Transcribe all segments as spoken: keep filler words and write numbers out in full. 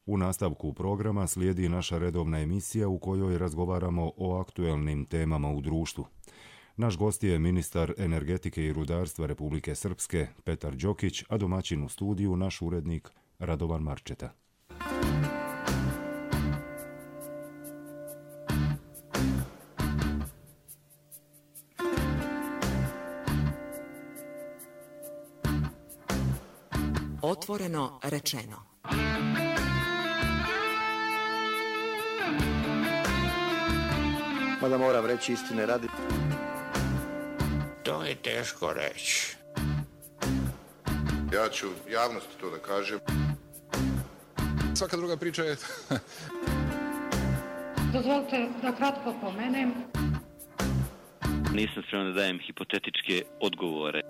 U nastavku programa slijedi naša redovna emisija u kojoj razgovaramo o aktuelnim temama u društvu. Naš gost je ministar energetike i rudarstva Republike Srpske Petar Đokić, a domaćin u studiju naš urednik Radovan Marčeta. Otvoreno rečeno. Mada moram reći istine radi. To je teško reći. Ja ću javnosti to da kažem. Svaka druga priča je... Dozvolite da kratko pomenem. Nisam spreman da dajem hipotetičke odgovore.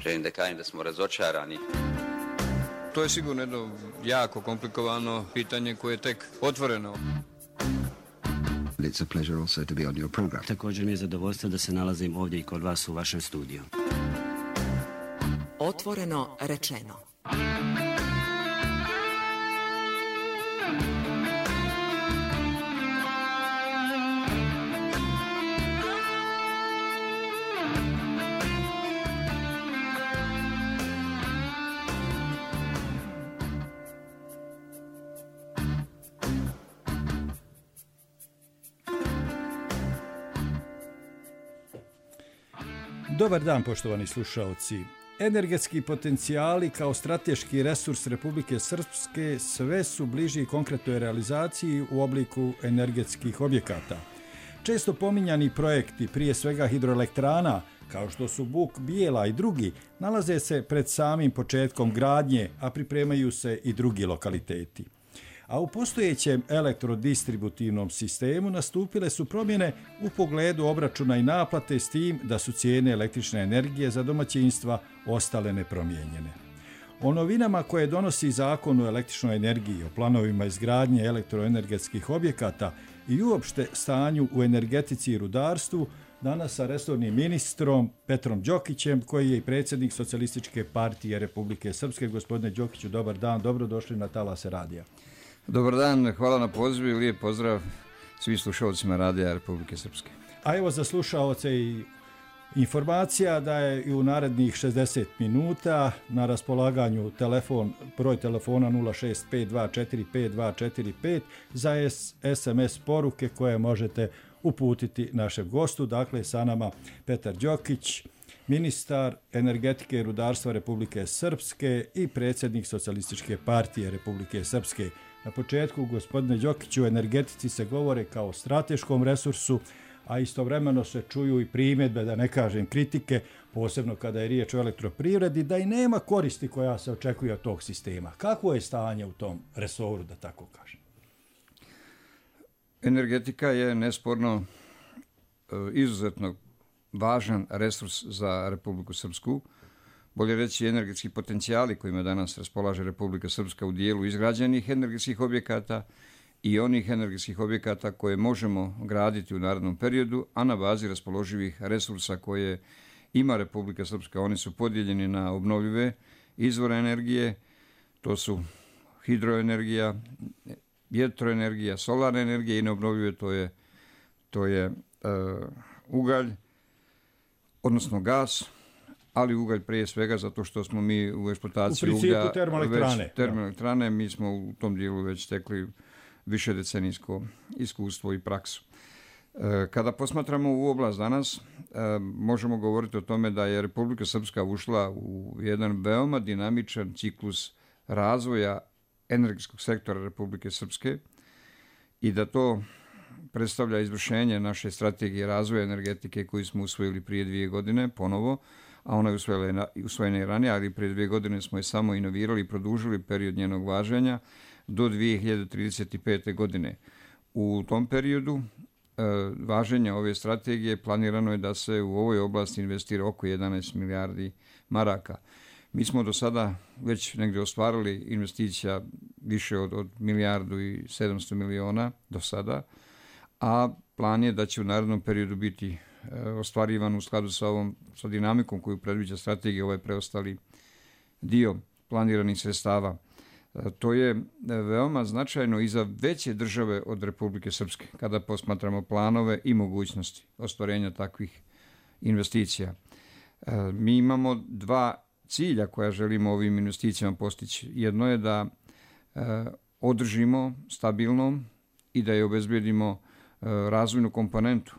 Želim da kažem da smo razočarani. To je sigurno jedno jako komplikovano pitanje koje je tek otvoreno. It's a pleasure also to be on your program. Također mi je zadovoljstvo da se nalazim ovdje i kod vas u vašem studiju. Otvoreno rečeno. Dobar dan, poštovani slušaoci. Energetski potencijali kao strateški resurs Republike Srpske sve su bliži konkretnoj realizaciji u obliku energetskih objekata. Često pominjani projekti, prije svega hidroelektrana, kao što su Buk, Bijela i drugi, nalaze se pred samim početkom gradnje, a pripremaju se i drugi lokaliteti. A u postojećem elektrodistributivnom sistemu nastupile su promjene u pogledu obračuna i naplate s tim da su cijene električne energije za domaćinstva ostale nepromijenjene. O novinama koje donosi Zakon o električnoj energiji, o planovima izgradnje elektroenergetskih objekata i uopšte stanju u energetici i rudarstvu, danas sa resornim ministrom Petrom Đokićem, koji je i predsjednik Socijalističke partije Republike Srpske. Gospodine Đokiću, dobar dan, dobrodošli na Talase radija. Dobar dan, hvala na pozivu i lijep pozdrav svim slušalcima Radija Republike Srpske. A evo za slušaoce i informacija da je i u narednih šezdeset minuta na raspolaganju telefon, broj telefona nula šest pet dva četiri pet dva četiri pet za es em es poruke koje možete uputiti našem gostu. Dakle, sa nama Petar Đokić, ministar energetike i rudarstva Republike Srpske i predsjednik Socijalističke partije Republike Srpske. Na početku, gospodine Đokiću, u energetici se govore kao strateškom resursu, a istovremeno se čuju i primjedbe, da ne kažem kritike, posebno kada je riječ o elektroprivredi, da i nema koristi koja se očekuje od tog sistema. Kakvo je stanje u tom resoru, da tako kažem? Energetika je nesporno izuzetno važan resurs za Republiku Srpsku. Bolje reći, energetski potencijali kojima danas raspolaže Republika Srpska u dijelu izgrađenih energetskih objekata i onih energetskih objekata koje možemo graditi u narednom periodu, a na bazi raspoloživih resursa koje ima Republika Srpska. Oni su podijeljeni na obnovljive izvore energije, to su hidroenergija, vjetroenergija, solarna energija i neobnovljive, to je, to je uh, ugalj, odnosno gas, ali ugalj prije svega zato što smo mi u eksploataciji uglja... U principu termoelektrane. Već termoelektrane, mi smo u tom dijelu već tekli više decenijsko iskustvo i praksu. Kada posmatramo u oblast danas, možemo govoriti o tome da je Republika Srpska ušla u jedan veoma dinamičan ciklus razvoja energetskog sektora Republike Srpske i da to predstavlja izvršenje naše strategije razvoja energetike koju smo usvojili prije dvije godine ponovo, a ona je usvojena i ranije, ali prije dvije godine smo je samo inovirali i produžili period njenog važenja do dvije hiljade trideset pete. godine. U tom periodu e, važenja ove strategije planirano je da se u ovoj oblasti investira oko jedanaest milijardi maraka. Mi smo do sada već negdje ostvarili investicija više od, od milijardu i sedamsto miliona do sada, a plan je da će u narednom periodu biti e, ostvarivan u skladu sa ovom sa dinamikom koju predviđa strategija ovaj preostali dio planiranih sredstava. To je veoma značajno i za veće države od Republike Srpske, kada posmatramo planove i mogućnosti ostvarenja takvih investicija. Mi imamo dva cilja koja želimo ovim investicijama postići. Jedno je da održimo stabilnom i da je obezbedimo razvojnu komponentu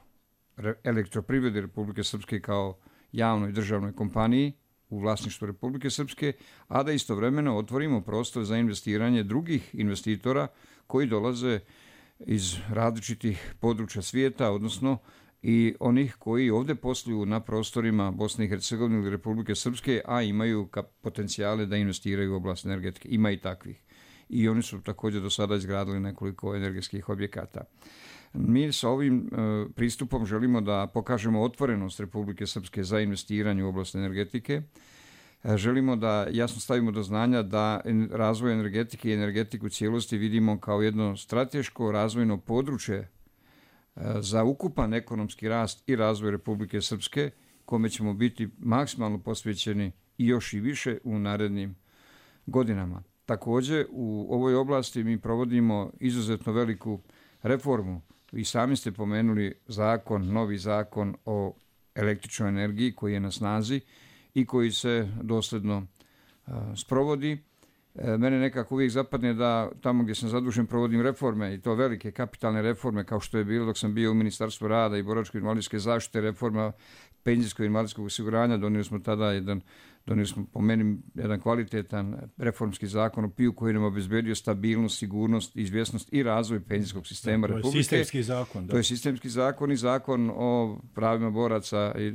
elektroprivrede Republike Srpske kao javnoj državnoj kompaniji u vlasništvu Republike Srpske, a da istovremeno otvorimo prostor za investiranje drugih investitora koji dolaze iz različitih područja svijeta, odnosno i onih koji ovde posluju na prostorima Bosne i Hercegovine ili Republike Srpske, a imaju potencijale da investiraju u oblast energetike. Ima i takvih. I oni su također do sada izgradili nekoliko energetskih objekata. Mi sa ovim pristupom želimo da pokažemo otvorenost Republike Srpske za investiranje u oblast energetike. Želimo da jasno stavimo do znanja da razvoj energetike i energetiku u cijelosti vidimo kao jedno strateško razvojno područje za ukupan ekonomski rast i razvoj Republike Srpske, kome ćemo biti maksimalno posvećeni i još i više u narednim godinama. Također, u ovoj oblasti mi provodimo izuzetno veliku reformu. I sami ste pomenuli zakon, novi zakon o električnoj energiji koji je na snazi i koji se dosledno uh, sprovodi. E, mene nekako uvijek zapadne da tamo gdje sam zadužen provodim reforme i to velike kapitalne reforme kao što je bilo dok sam bio u Ministarstvu rada i boračko-invalidske zaštite, reforma penzijskog i invalidskog osiguranja. Donijeli smo tada jedan, donijeli smo po meni jedan kvalitetan reformski zakon o P I U koji nam obezbedio stabilnost, sigurnost, izvjesnost i razvoj penzijskog sistema da, Republike. To je sistemski zakon. Da. To je sistemski zakon i zakon o pravima boraca i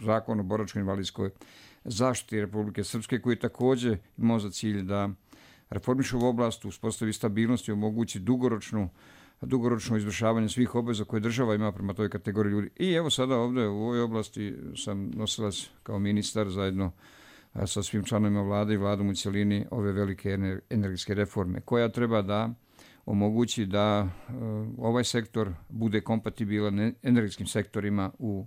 zakon o boračko-invalidskoj zaštiti Republike Srpske koji također imao za cilj da reformiše ovu oblast, uspostavi stabilnost i omogući dugoročnu dugoročno izvršavanje svih obveza koje država ima prema toj kategoriji ljudi. I evo sada ovdje u ovoj oblasti sam nosilac kao ministar zajedno sa svim članovima vlade i vladom u cjelini ove velike energetske reforme koja treba da omogući da ovaj sektor bude kompatibilan energetskim sektorima u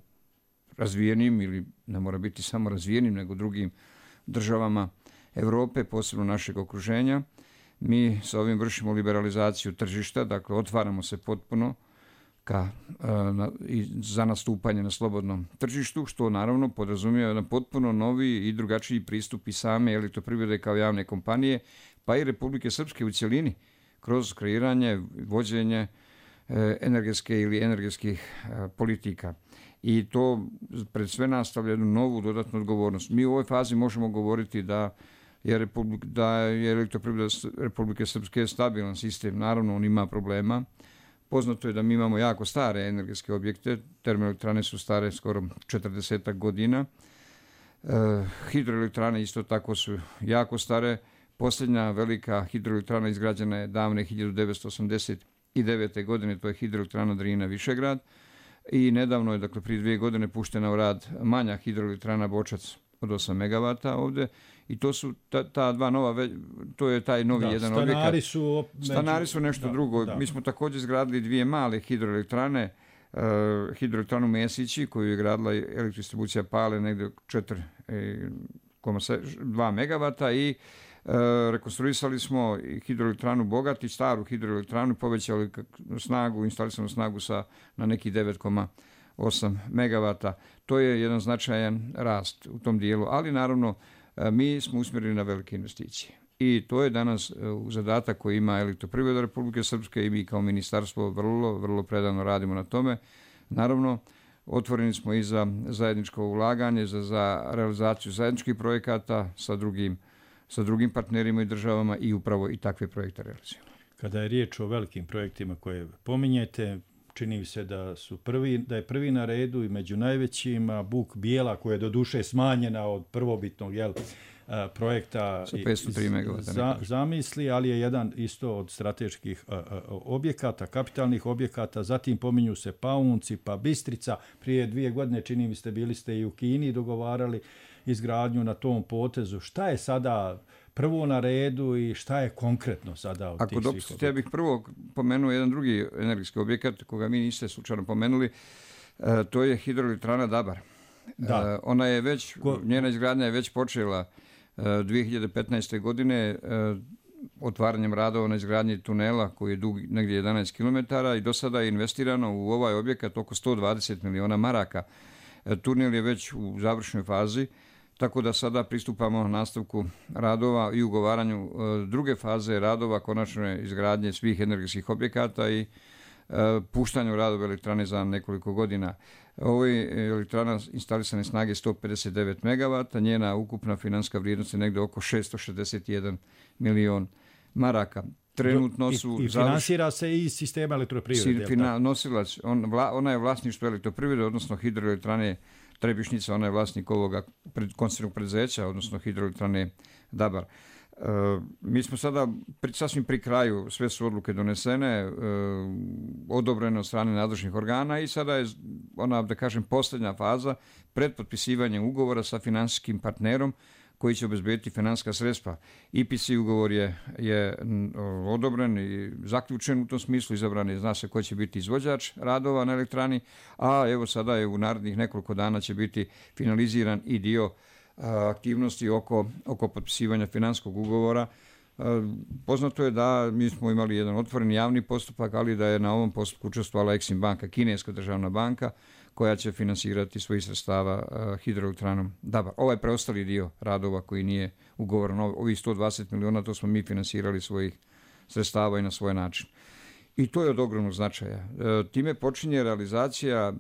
razvijenim ili ne mora biti samo razvijenim nego drugim državama Europe, posebno našeg okruženja. Mi sa ovim vršimo liberalizaciju tržišta, dakle otvaramo se potpuno ka, na, i za nastupanje na slobodnom tržištu, što naravno podrazumijeva jedan potpuno novi i drugačiji pristup i same elektroprivrede kao javne kompanije, pa i Republike Srpske u cjelini, kroz kreiranje, vođenje e, energetske ili energetskih e, politika. I to pred sve nas stavlja jednu novu dodatnu odgovornost. Mi u ovoj fazi možemo govoriti da je, Republik, da je elektroprivreda Republike Srpske stabilan sistem. Naravno, on ima problema. Poznato je da mi imamo jako stare energetske objekte. Termoelektrane su stare skoro četrdesetak godina. E, hidroelektrane isto tako su jako stare. Posljednja velika hidroelektrana izgrađena je davne hiljadu devetsto osamdeset devete. godine. To je hidroelektrana Drina Višegrad. I nedavno je, dakle, prije dvije godine puštena u rad manja hidroelektrana Bočac od osam megavata ovdje. I to su ta, ta dva nova, to je taj novi da, jedan stanari objekat. Su op... Stanari su nešto da, drugo. Da. Mi smo također izgradili dvije male hidroelektrane, uh, hidroelektranu Mesići koju je gradila elektrodistribucija Pale negdje četiri zarez dva megavata i uh, rekonstruisali smo hidroelektranu Bogati, staru hidroelektranu, povećali snagu, instalisanu snagu sa, na neki devet zarez osam megavata. To je jedan značajan rast u tom dijelu, ali naravno mi smo usmjereni na velike investicije. I to je danas zadatak koji ima Elektroprivreda Republike Srpske i mi kao ministarstvo vrlo, vrlo predano radimo na tome. Naravno, otvoreni smo i za zajedničko ulaganje, za, za realizaciju zajedničkih projekata sa drugim, sa drugim partnerima i državama i upravo i takve projekte realizujemo. Kada je riječ o velikim projektima koje pominjete, čini mi se da su prvi, da je prvi na redu i među najvećima Buk Bijela, koja je do duše smanjena od prvobitnog jel, projekta sa petsto tri megavata za, zamisli, ali je jedan isto od strateških a, a, objekata, kapitalnih objekata. Zatim pominju se Paunci, pa Bistrica. Prije dvije godine, čini mi se, bili ste i u Kini dogovarali izgradnju na tom potezu. Šta je sada prvo na redu i šta je konkretno sada od Ako tih svih objekata? Ja bih prvo pomenuo jedan drugi energetski objekat koga mi niste slučajno pomenuli. E, to je hidroelektrana Dabar. Da. E, ona je već, Ko... njena izgradnja je već počela e, dvije hiljade petnaeste. godine. E, otvaranjem radova na izgradnji tunela koji je dug negdje jedanaest kilometara i do sada je investirano u ovaj objekat oko sto dvadeset miliona maraka. Tunel je već u završnoj fazi, tako da sada pristupamo nastavku radova i ugovaranju druge faze radova, konačne izgradnje svih energetskih objekata i puštanju radova elektrane za nekoliko godina. Ovo je elektrana instalisane snage sto pedeset devet megavata, njena ukupna financijska vrijednost je negdje oko šesto šezdeset jedan milion maraka. Trenutno su... I, i finansira se iz sistema elektroprivrede. Fina, nosilac, on, vla, ona je vlasništvo elektroprivrede, odnosno hidroelektrane Trebišnica, ona je vlasnik ovoga pred, koncernog preduzeća, odnosno hidroelektrane Dabar. E, mi smo sada pri, sasvim pri kraju, sve su odluke donesene, e, odobrene od strane nadležnih organa i sada je ona, da kažem, posljednja faza pred potpisivanjem ugovora sa finansijskim partnerom koji će obezbediti financijska sredstva. I P C ugovor je, je odobren i zaključen u tom smislu, izabran je, zna se ko će biti izvođač radova na elektrani, a evo sada je u narednih nekoliko dana će biti finaliziran i dio a, aktivnosti oko, oko potpisivanja financijskog ugovora. A, poznato je da mi smo imali jedan otvoren javni postupak, ali da je na ovom postupku učestvovala Exim banka, kineska državna banka, koja će finansirati svojih sredstava uh, hidroelektranom Dabar. Ovaj preostali dio radova koji nije ugovoren, ovih sto dvadeset miliona, to smo mi finansirali svojih sredstava i na svoj način. I to je od ogromnog značaja. E, time počinje realizacija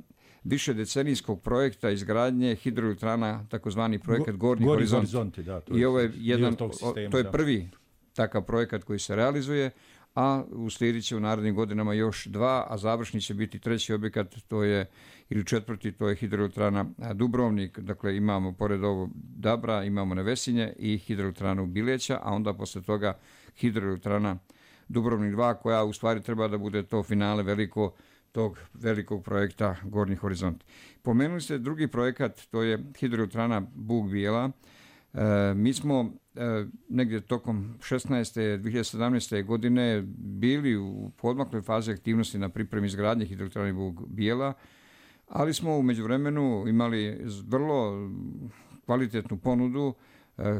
više decenijskog projekta izgradnje hidroelektrana, takozvani projekat Go, Gornji horizont. horizonti. Da, to je, I ovo je jedan, sistema, to je da. prvi takav projekat koji se realizuje, a uslijedit će u narednim godinama još dva, a završni će biti treći objekat, to je, ili četvrti, to je hidroelektrana Dubrovnik. Dakle, imamo pored ovog Dabra, imamo Nevesinje i hidroelektranu Bileća, a onda posle toga hidroelektrana Dubrovnik dva, koja u stvari treba da bude to finale veliko tog velikog projekta Gornji horizont. Pomenuli ste drugi projekat, to je hidroelektrana Bug Bijela. E, mi smo e, negdje tokom šesnaeste dve hiljade sedamnaeste. godine bili u podmakloj fazi aktivnosti na pripremi izgradnje hidroelektrane Bug Bijela, ali smo u međuvremenu imali vrlo kvalitetnu ponudu e,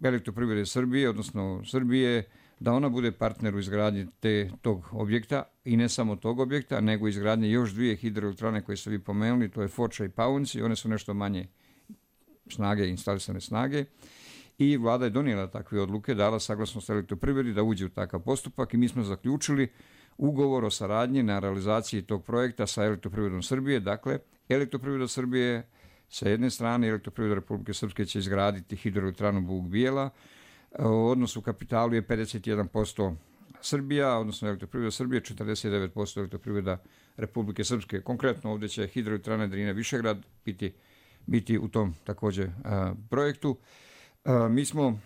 Elektroprivrede Srbije, odnosno Srbije, da ona bude partner u izgradnji te, tog objekta i ne samo tog objekta, nego izgradnje još dvije hidroelektrane koje ste vi pomenuli, to je Foča i Paunci, one su nešto manje snage, instalisane snage, i vlada je donijela takve odluke, dala saglasnost Elektroprivredi da uđe u takav postupak i mi smo zaključili ugovor o saradnji na realizaciji tog projekta sa Elektroprivredom Srbije. Dakle, Elektroprivreda Srbije sa jedne strane i Elektroprivreda Republike Srpske će izgraditi hidroelektranu Bug Bijela. Odnos u kapitalu je pedeset jedan posto Srbija, odnosno Elektroprivreda Srbije, četrdeset devet posto Elektroprivreda Republike Srpske. Konkretno ovdje će hidroelektrana Drina Višegrad biti, biti u tom također a, projektu. A, mi smo,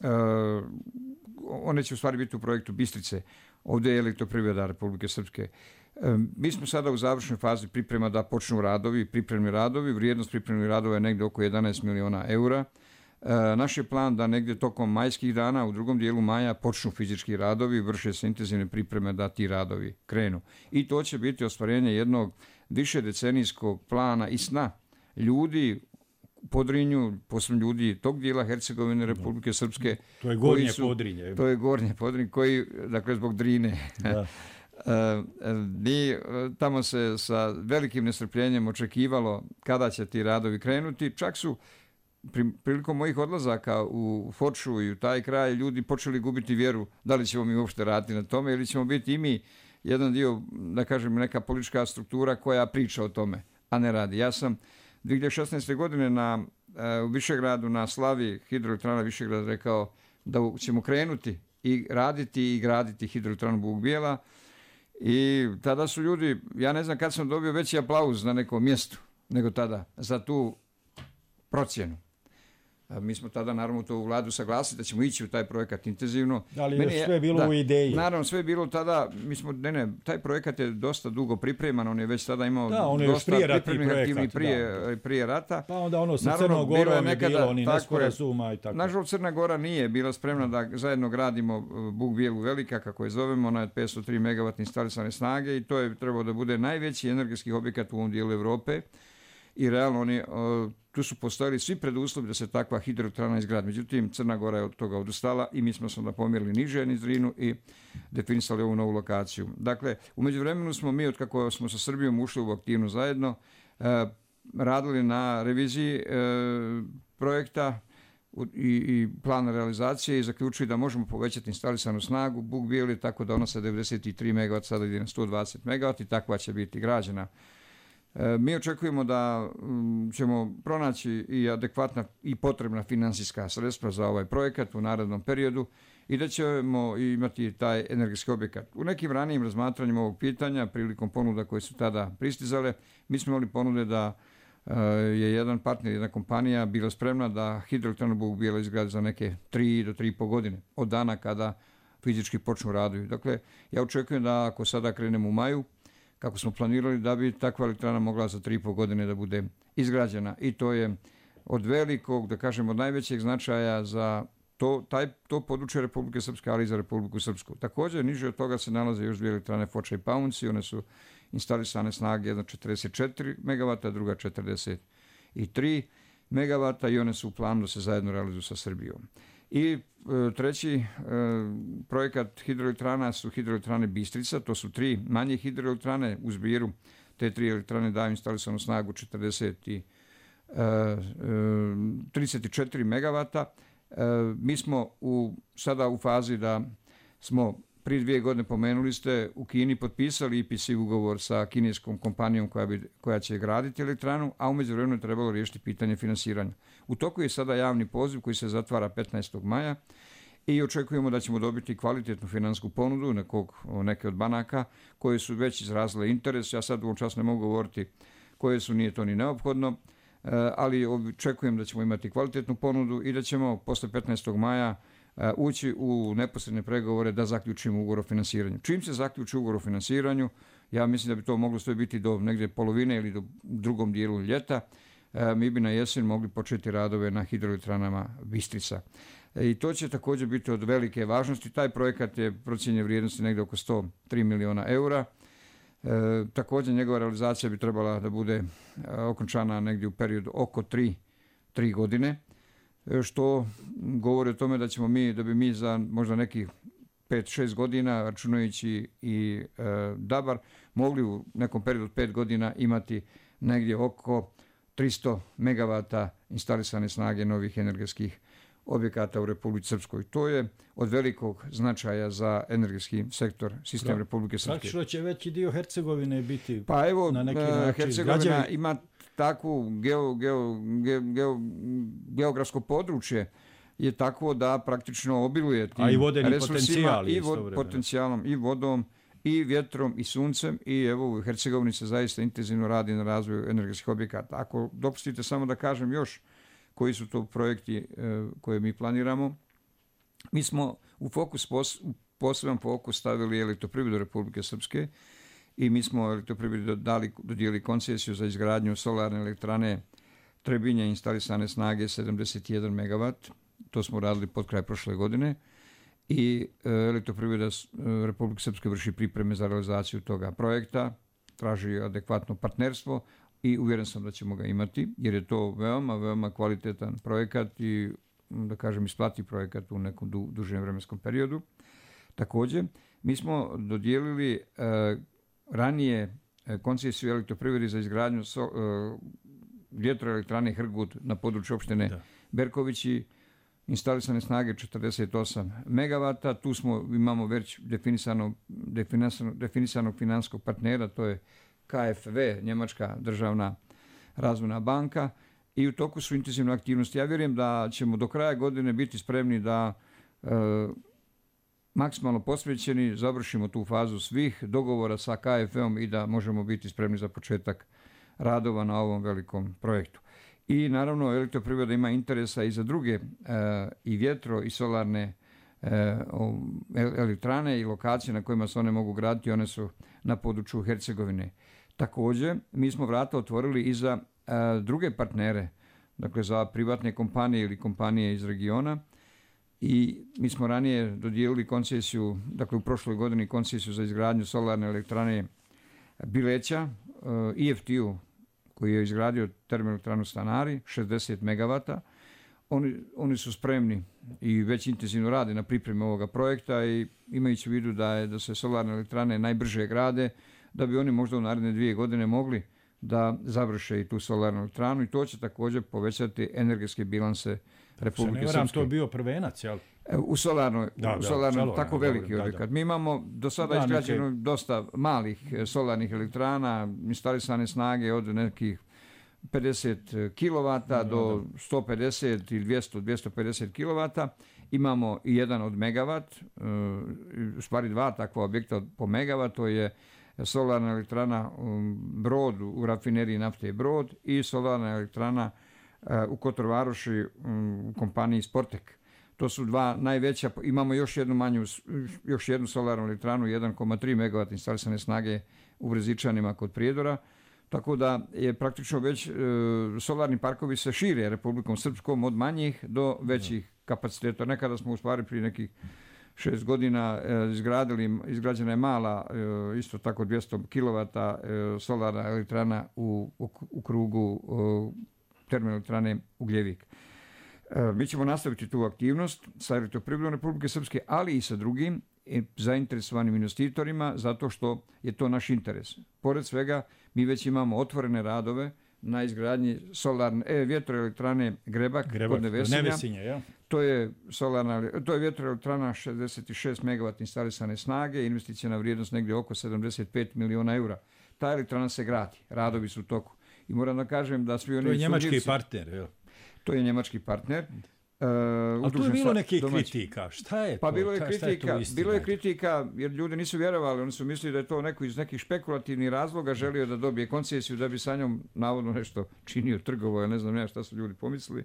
a, one će u stvari biti u projektu Bistrice. Ovdje je Elektroprivreda Republike Srpske. A, mi smo sada u završnoj fazi priprema da počnu radovi, pripremni radovi. Vrijednost pripremnih radova je negdje oko jedanaest miliona eura. E, naš je plan da negdje tokom majskih dana, u drugom dijelu maja, počnu fizički radovi, vrše se intenzivne pripreme da ti radovi krenu. I to će biti ostvarenje jednog više decenijskog plana i sna ljudi u Podrinju, posebno ljudi tog dijela Hercegovine, Republike Srpske. To je Gornje su, Podrinje. To je Gornje Podrinje, koji, dakle, zbog Drine. Da. Mi, tamo se sa velikim nestrpljenjem očekivalo kada će ti radovi krenuti. Čak su prilikom mojih odlazaka u Foču i u taj kraj ljudi počeli gubiti vjeru da li ćemo mi uopšte raditi na tome ili ćemo biti i mi jedan dio, da kažem, neka politička struktura koja priča o tome, a ne radi. Ja sam dve hiljade šesnaeste. godine na, u Višegradu na slavi hidroelektrana Višegrad rekao da ćemo krenuti i raditi i graditi hidroelektranu Bug Bijela, i tada su ljudi, ja ne znam kad sam dobio veći aplauz na nekom mjestu nego tada za tu procjenu. Mi smo tada naravno to u vladu saglasili da ćemo ići u taj projekat intenzivno. Ali Meni je sve bilo da, u ideji. Naravno, sve je bilo tada, mi smo, ne, ne, taj projekat je dosta dugo pripreman, on je već tada imao da, on je dosta pripremnih aktivnih prije, da. prije rata. Pa onda ono sa Crnom Gorom je bilo, oni nesporazuma i tako. Nažalost, Crna Gora nije bila spremna da zajedno gradimo Bug Bijelu Velika, kako je zovemo, ona je petsto tri megavatne instalisane snage i to je trebalo da bude najveći energetski objekat u ovom dijelu Evrope. i realno oni, tu su postojali svi preduslovi da se takva hidroelektrana izgradi. Međutim, Crna Gora je od toga odustala i mi smo se onda pomjerili niže niz Drinu i definisali ovu novu lokaciju. Dakle, u međuvremenu smo mi, od kako smo sa Srbijom ušli u aktivnu zajedno, radili na reviziji projekta i, i plana realizacije i zaključili da možemo povećati instalisanu snagu Buk Bijeli tako da ona sa devedeset tri megavata sada ide na sto dvadeset megavata i takva će biti građena. E, mi očekujemo da m, ćemo pronaći i adekvatna i potrebna financijska sredstva za ovaj projekat u narednom periodu i da ćemo imati taj energetski objekat. U nekim ranijim razmatranjima ovog pitanja, prilikom ponuda koje su tada pristizale, mi smo imali ponude da je jedan partner, jedna kompanija bila spremna da hidroelektranu Buk Bijela izgradi za neke tri do tri i po godine od dana kada fizički počnu radovi. Dakle, ja očekujem da ako sada krenemo u maju, kako smo planirali, da bi takva elektrana mogla za tri i po godine da bude izgrađena. I to je od velikog, da kažemo, od najvećeg značaja za to, taj, to područje Republike Srpske, ali i za Republiku Srpsku. Također, niže od toga se nalaze još dvije elektrane Foča i Paunci, one su instalisane snage, jedna četrdeset četiri megavata, druga četrdeset tri megavata i one su u planu da se zajedno realizuju sa Srbijom. I e, treći e, projekat hidroelektrana su hidroelektrane Bistrica, to su tri manje hidroelektrane u zbiru. Te tri elektrane daju instalisanu snagu četrdeset i, e, e, trideset četiri megavata. E, mi smo u, sada u fazi da smo prije dvije godine, pomenuli ste, u Kini potpisali I P C ugovor sa kineskom kompanijom koja, bi, koja će graditi elektranu, a u međuvremenu je trebalo riješiti pitanje finansiranja. U toku je sada javni poziv koji se zatvara petnaestog maja i očekujemo da ćemo dobiti kvalitetnu finansijsku ponudu nekog, neke od banaka koje su već izrazile interes. Ja sad u ovom času ne mogu govoriti koje su, nije to ni neophodno, ali očekujem da ćemo imati kvalitetnu ponudu i da ćemo posle petnaestog maja ući u neposredne pregovore da zaključimo ugovor o finansiranju. Čim se zaključi ugovor o finansiranju, ja mislim da bi to moglo sve biti do negdje polovine ili do drugom dijelu ljeta, mi bi na jesen mogli početi radove na hidroelektranama Bistrica. I to će također biti od velike važnosti. Taj projekat je procijenjen vrijednosti negdje oko sto tri miliona eura. E, također njegova realizacija bi trebala da bude okončana negdje u periodu oko tri, tri godine. Što govori o tome da ćemo mi, da bi mi za možda nekih pet šest godina, računajući i e, Dabar, mogli u nekom periodu od pet godina imati negdje oko tristo megavata instalisane snage novih energetskih objekata u Republici Srpskoj. To je od velikog značaja za energetski sektor, sistem Republike Srpske. Praktično će veći dio Hercegovine biti pa evo, na neki način. Hercegovina građevi... ima takvu geo, geo, geo, geo, geografsko područje je takvo da praktično obiluje tim a i vodeni resursima i vod, potencijalom i vodom i vjetrom i suncem i evo u Hercegovini se zaista intenzivno radi na razvoju energetskih objekata. Ako dopustite samo da kažem još koji su to projekti e, koje mi planiramo, mi smo u fokus, pos, u poseban fokus stavili Elektroprivredu Republike Srpske i mi smo Elektroprivredi dali, dodijeli koncesiju za izgradnju solarne elektrane Trebinje instalisane snage sedamdeset jedan megavat. To smo radili pod kraj prošle godine i e, Elektroprivreda e, Republike Srpske vrši pripreme za realizaciju toga projekta, traži adekvatno partnerstvo i uvjeren sam da ćemo ga imati, jer je to veoma, veoma kvalitetan projekat i, da kažem, isplativ projekat u nekom du, dužem vremenskom periodu. Također, mi smo dodijelili e, ranije e, koncesiju Elektroprivredi za izgradnju so, e, vjetroelektrane Hrgut na području opštine da. Berkovići, instalisane snage četrdeset osam megavata. Tu smo, imamo već definisano, definisano, definisanog finanskog partnera, to je K F W, Njemačka državna razvojna banka, i u toku su intenzivne aktivnosti. Ja vjerujem da ćemo do kraja godine biti spremni da e, maksimalno posvećeni završimo tu fazu svih dogovora sa K F W-om i da možemo biti spremni za početak radova na ovom velikom projektu. I naravno Elektroprivreda ima interesa i za druge e, i vjetro i solarne e, elektrane i lokacije na kojima se one mogu graditi, one su na području Hercegovine. Također, mi smo vrata otvorili i za e, druge partnere, dakle za privatne kompanije ili kompanije iz regiona, i mi smo ranije dodijelili koncesiju, dakle u prošloj godini koncesiju za izgradnju solarne elektrane Bileća, e, I F T-u, koji je izgradio termoelektranu Stanari, šezdeset megavata. Oni, oni su spremni i već intenzivno rade na pripremi ovoga projekta i imajući u vidu da, je, da se solarne elektrane najbrže grade, da bi oni možda u naredne dvije godine mogli da završe i tu solarnu elektranu i to će također povećati energetske bilanse Republike Srpske. Se ne to bio prvenac, jel? U solarnoj, da, u solarnoj da, tako da, veliki da, objekat. Da. Mi imamo do sada izgrađeno neke... dosta malih solarnih elektrana, instalisane snage od nekih pedeset kilovata da, do da. sto pedeset ili dvjesto do dvjesto pedeset kilovata. Imamo i jedan od megavat, u stvari dva takva objekta po megavat, to je solarna elektrana Brod u rafineriji nafte Brod i solarna elektrana u Kotorvaroši u kompaniji Sportek. To su dva najveća, imamo još jednu manju, još jednu solarnu elektranu, jedan zarez tri megavata instalisane snage u Brezičanima kod Prijedora, tako da je praktično već e, solarni parkovi se šire Republikom Srpskom od manjih do većih kapaciteta. Nekada smo u stvari prije nekih šest godina e, izgradili, izgrađena je mala, e, isto tako dvjesto kilovata e, solarna elektrana u, u, u krugu e, termoelektrane Ugljevik. Mi ćemo nastaviti tu aktivnost sa Elektroprivredom Republike Srpske, ali i sa drugim zainteresovanim investitorima, zato što je to naš interes. Pored svega, mi već imamo otvorene radove na izgradnji solarne, e, vjetroelektrane Grebak, Grebak kod Nevesinja. Nevesinja, ja. To je, solarna, to je vjetroelektrana šezdeset šest megavata instalisane snage, investicijna vrijednost negdje oko sedamdeset pet miliona eura. Ta elektrana se gradi, radovi su u toku. I moram da kažem da svi oni... To je njemački sumnjivci, partner, jel? To je njemački partner. Uh, Ali tu je bilo nekih kritika. Šta je to? Pa bilo je Ta, kritika, je bilo je kritika jer ljudi nisu vjerovali, oni su mislili da je to neko iz nekih špekulativnih razloga želio da dobije koncesiju da bi sa njom navodno nešto činio, trgovao, ne znam ja šta su ljudi pomislili.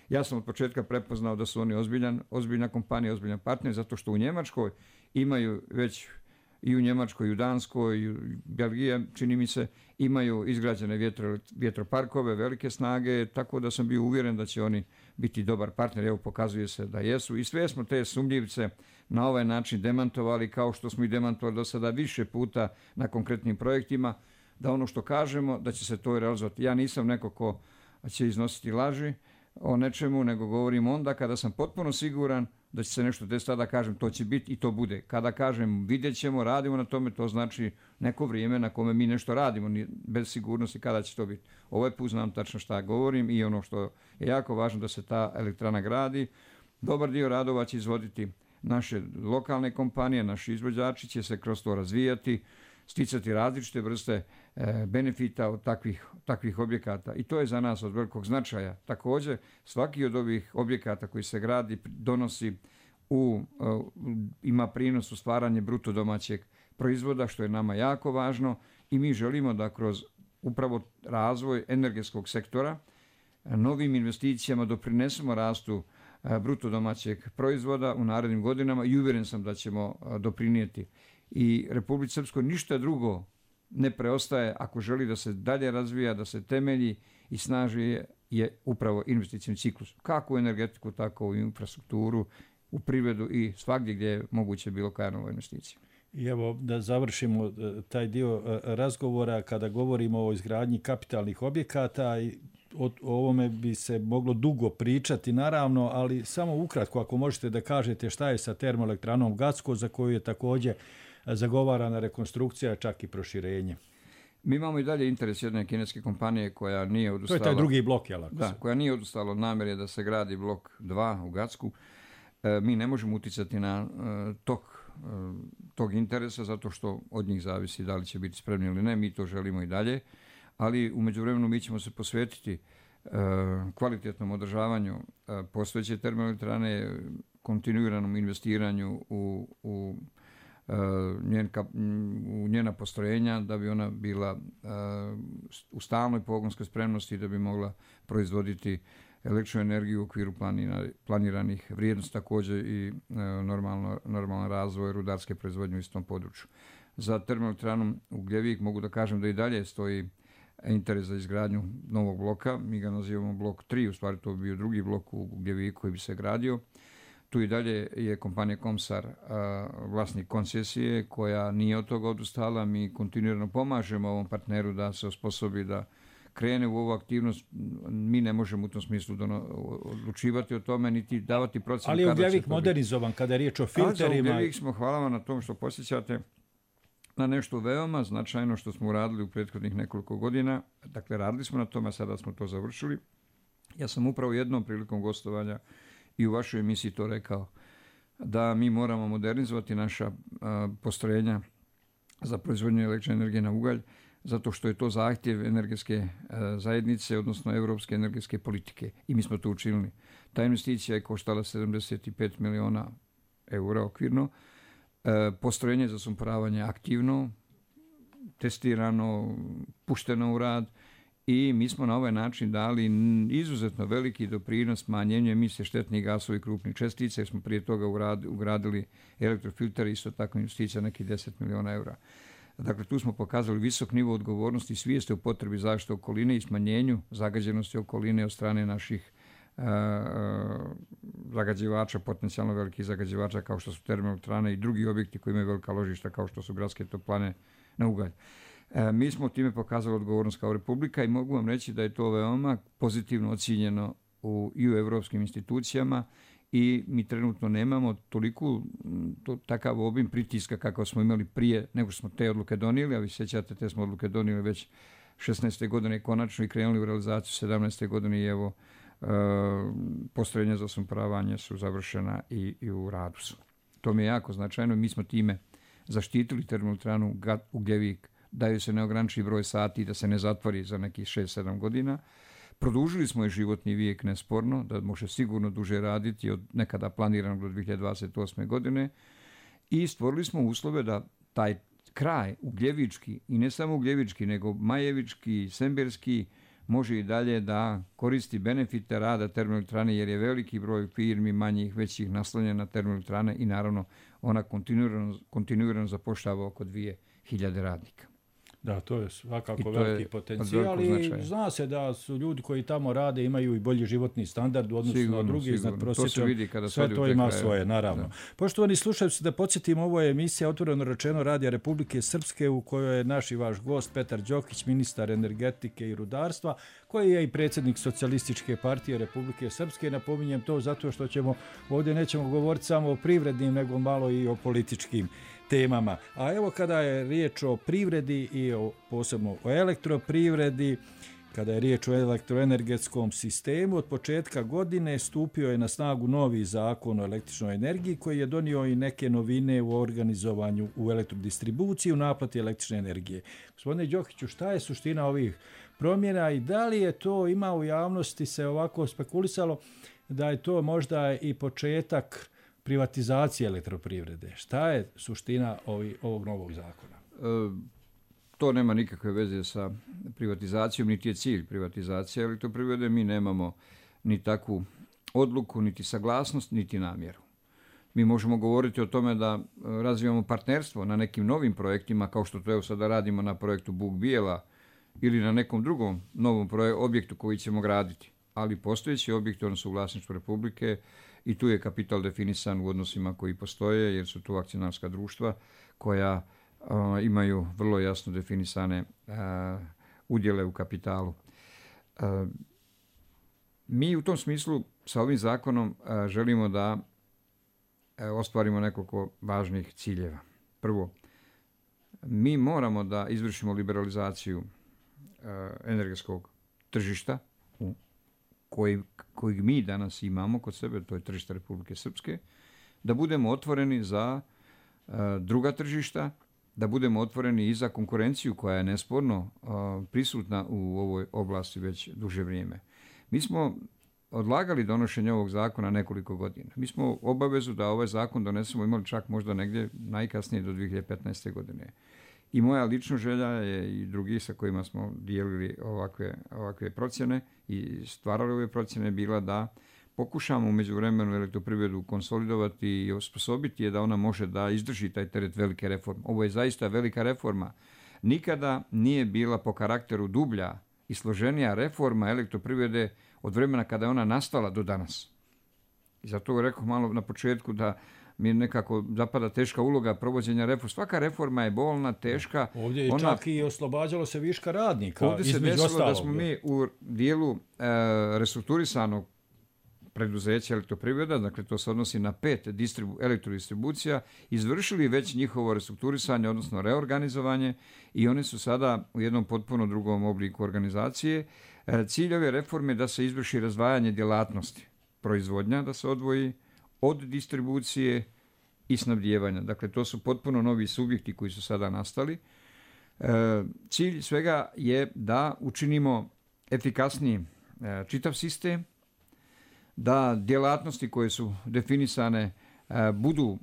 Ja sam od početka prepoznao da su oni ozbiljan, ozbiljna kompanija, ozbiljan partner, zato što u Njemačkoj imaju već i u Njemačkoj, i u Danskoj, i u Belgiji, čini mi se, imaju izgrađene vjetro, vjetroparkove, velike snage, tako da sam bio uvjeren da će oni biti dobar partner. Evo, pokazuje se da jesu. I sve smo te sumnjivce na ovaj način demantovali, kao što smo i demantovali do sada više puta na konkretnim projektima, da ono što kažemo, da će se to realizovati. Ja nisam neko ko će iznositi laži o nečemu, nego govorim onda kada sam potpuno siguran da će se nešto desiti, tada kažem to će biti i to bude. Kada kažem vidjet ćemo, radimo na tome, to znači neko vrijeme na kome mi nešto radimo, bez sigurnosti kada će to biti. Ovaj put znam tačno šta govorim i ono što je jako važno da se ta elektrana gradi. Dobar dio radova će izvoditi naše lokalne kompanije, naši izvođači će se kroz to razvijati, sticati različite vrste e, benefita od takvih, takvih objekata. I to je za nas od velikog značaja. Također, svaki od ovih objekata koji se gradi donosi u, uh, ima prinos u stvaranje bruto domaćeg proizvoda, što je nama jako važno i mi želimo da kroz upravo razvoj energetskog sektora novim investicijama doprinesemo rastu uh, bruto domaćeg proizvoda u narednim godinama i uvjeren sam da ćemo uh, doprinijeti. I Republici Srpskoj ništa drugo ne preostaje ako želi da se dalje razvija, da se temelji i snaži je, je upravo investicijni ciklus. Kako u energetiku, tako u infrastrukturu, u privredu i svagdje gdje je moguće bilo koja nova investicija. I evo da završimo taj dio razgovora kada govorimo o izgradnji kapitalnih objekata i o ovome bi se moglo dugo pričati naravno, ali samo ukratko ako možete da kažete šta je sa termoelektranom Gacko za koju je također zagovarana rekonstrukcija, čak i proširenje. Mi imamo i dalje interes jedne kineske kompanije koja nije odustala. To je taj drugi blok, jel? Da, koja nije odustala od namjere da se gradi blok dva u Gacku. E, mi ne možemo uticati na e, tok e, tog interesa zato što od njih zavisi da li će biti spremni ili ne. Mi to želimo i dalje, ali u međuvremenu mi ćemo se posvetiti e, kvalitetnom održavanju e, postojeće termoelektrane, kontinuiranom investiranju u, u Njen, u njena postrojenja da bi ona bila uh, u stalnoj pogonskoj spremnosti da bi mogla proizvoditi električnu energiju u okviru planina, planiranih vrijednosti, također i uh, normalno, normalan razvoj rudarske proizvodnje u istom području. Za termoelektranu Ugljevik mogu da kažem da i dalje stoji interes za izgradnju novog bloka. Mi ga nazivamo blok tri, u stvari to bi bio drugi blok u Ugljeviku koji bi se gradio. Tu i dalje je kompanija Komsar vlasnik koncesije koja nije od toga odustala. Mi kontinuirano pomažemo ovom partneru da se osposobi da krene u ovu aktivnost, mi ne možemo u tom smislu dono, odlučivati o tome, niti davati procenu. Ali je ugljevik modernizovan kada je riječ o filterima. A za ugljevik smo, hvala vam na tom što posjećate, na nešto veoma značajno što smo uradili u prethodnih nekoliko godina. Dakle, radili smo na tome, sada smo to završili. Ja sam upravo jednom prilikom gostovanja i u vašoj emisiji to rekao, da mi moramo modernizovati naša a, postrojenja za proizvodnju električne energije na ugalj, zato što je to zahtjev energetske a, zajednice, odnosno europske energetske politike. I mi smo to učinili. Ta investicija je koštala sedamdeset pet miliona eura okvirno. E, postrojenje za sumporavanje aktivno, testirano, pušteno u rad i mi smo na ovaj način dali izuzetno veliki doprinos smanjenju emisije štetnih gasova i krupnih čestica, jer smo prije toga ugradili elektrofilter, isto tako investicija nekih deset miliona eura. Dakle, tu smo pokazali visok nivo odgovornosti i svijesti o potrebi zaštite okoline i smanjenju zagađenosti okoline od strane naših uh, zagađivača, potencijalno velikih zagađivača kao što su termoelektrane i drugi objekti koji imaju velika ložišta kao što su gradske toplane na ugalj. E, mi smo time pokazali odgovornost kao Republika i mogu vam reći da je to veoma pozitivno ocijenjeno u, i u evropskim institucijama i mi trenutno nemamo toliko to, takav obim pritiska kako smo imali prije nego što smo te odluke donijeli, a vi sjećate, te smo odluke donijeli već šesnaeste godine konačno i krenuli u realizaciju sedamnaeste godine i evo e, postrojenja za sumporavanje su završena i, i u radu su. To mi je jako značajno. Mi smo time zaštitili termoelektranu Ugljevik, daju se neograničeni broj sati da se ne zatvori za nekih šest sedam godina. Produžili smo je životni vijek nesporno, da može sigurno duže raditi od nekada planiranog do dvije hiljade dvadeset osme godine i stvorili smo uslove da taj kraj ugljevički, i ne samo ugljevički, nego majevički, semberski, može i dalje da koristi benefite rada termoelektrane, jer je veliki broj firmi, manjih, većih, naslonjen na termoelektrane i naravno ona kontinuirano, kontinuirano zapošljava oko dvije hiljade radnika. Da, to je svakako veliki potencijal i zna se da su ljudi koji tamo rade imaju i bolji životni standard u odnosu sigurno, na drugi iznad prosječnog. Sve to ima kraje. Svoje, naravno. Da. Poštovani slušalci, da podsjetimo, ovo je emisija Otvoreno rečeno Radija Republike Srpske u kojoj je naš i vaš gost Petar Đokić, ministar energetike i rudarstva, koji je i predsjednik Socijalističke partije Republike Srpske. Napominjem to zato što ćemo ovdje nećemo govoriti samo o privrednim, nego malo i o političkim temama. A evo kada je riječ o privredi i o, posebno o elektroprivredi, kada je riječ o elektroenergetskom sistemu, od početka godine stupio je na snagu novi zakon o električnoj energiji koji je donio i neke novine u organizovanju u elektrodistribuciji, u naplati električne energije. Gospodine Đokiću, šta je suština ovih promjena i da li je to, ima u javnosti se ovako spekulisalo, da je to možda i početak privatizacije elektroprivrede? Šta je suština ovi, ovog novog zakona? E, to nema nikakve veze sa privatizacijom, niti je cilj privatizacije elektroprivrede. Mi nemamo ni takvu odluku, niti saglasnost, niti namjeru. Mi možemo govoriti o tome da razvijamo partnerstvo na nekim novim projektima, kao što to evo sada radimo na projektu Buk Bijela ili na nekom drugom novom projek- objektu koji ćemo graditi. Ali postojeći objekti, oni su u vlasništvu Republike, i tu je kapital definisan u odnosima koji postoje, jer su tu akcionarska društva koja uh, imaju vrlo jasno definisane uh, udjele u kapitalu. Uh, mi u tom smislu sa ovim zakonom uh, želimo da uh, ostvarimo nekoliko važnih ciljeva. Prvo, mi moramo da izvršimo liberalizaciju uh, energetskog tržišta u Koji, kojeg mi danas imamo kod sebe, to je tržište Republike Srpske, da budemo otvoreni za uh, druga tržišta, da budemo otvoreni i za konkurenciju koja je nesporno uh, prisutna u ovoj oblasti već duže vrijeme. Mi smo odlagali donošenje ovog zakona nekoliko godina. Mi smo obavezu da ovaj zakon donesemo imali čak možda negdje najkasnije do dvije hiljade petnaeste godine. I moja lična želja je i drugi sa kojima smo dijelili ovakve, ovakve procjene i stvarali ove procjene bila da pokušamo u međuvremenu elektroprivredu konsolidovati i osposobiti je da ona može da izdrži taj teret velike reforme. Ovo je zaista velika reforma. Nikada nije bila po karakteru dublja i složenija reforma elektroprivrede od vremena kada je ona nastala do danas. I zato rekao malo na početku da mi nekako zapada teška uloga provođenja reforma. Svaka reforma je bolna, teška. Ovdje je ona, čak i oslobađalo se viška radnika. Ovdje se desilo ostalog, da smo mi u dijelu e, restrukturisanog preduzeća elektroprivreda, dakle to se odnosi na pet distribu, elektrodistribucija, izvršili već njihovo restrukturisanje, odnosno reorganizovanje i one su sada u jednom potpuno drugom obliku organizacije. E, cilj ove reforme je da se izvrši razdvajanje djelatnosti. Proizvodnja da se odvoji od distribucije i snabdijevanja. Dakle, to su potpuno novi subjekti koji su sada nastali. E, cilj svega je da učinimo efikasniji e, čitav sistem, da djelatnosti koje su definisane e, budu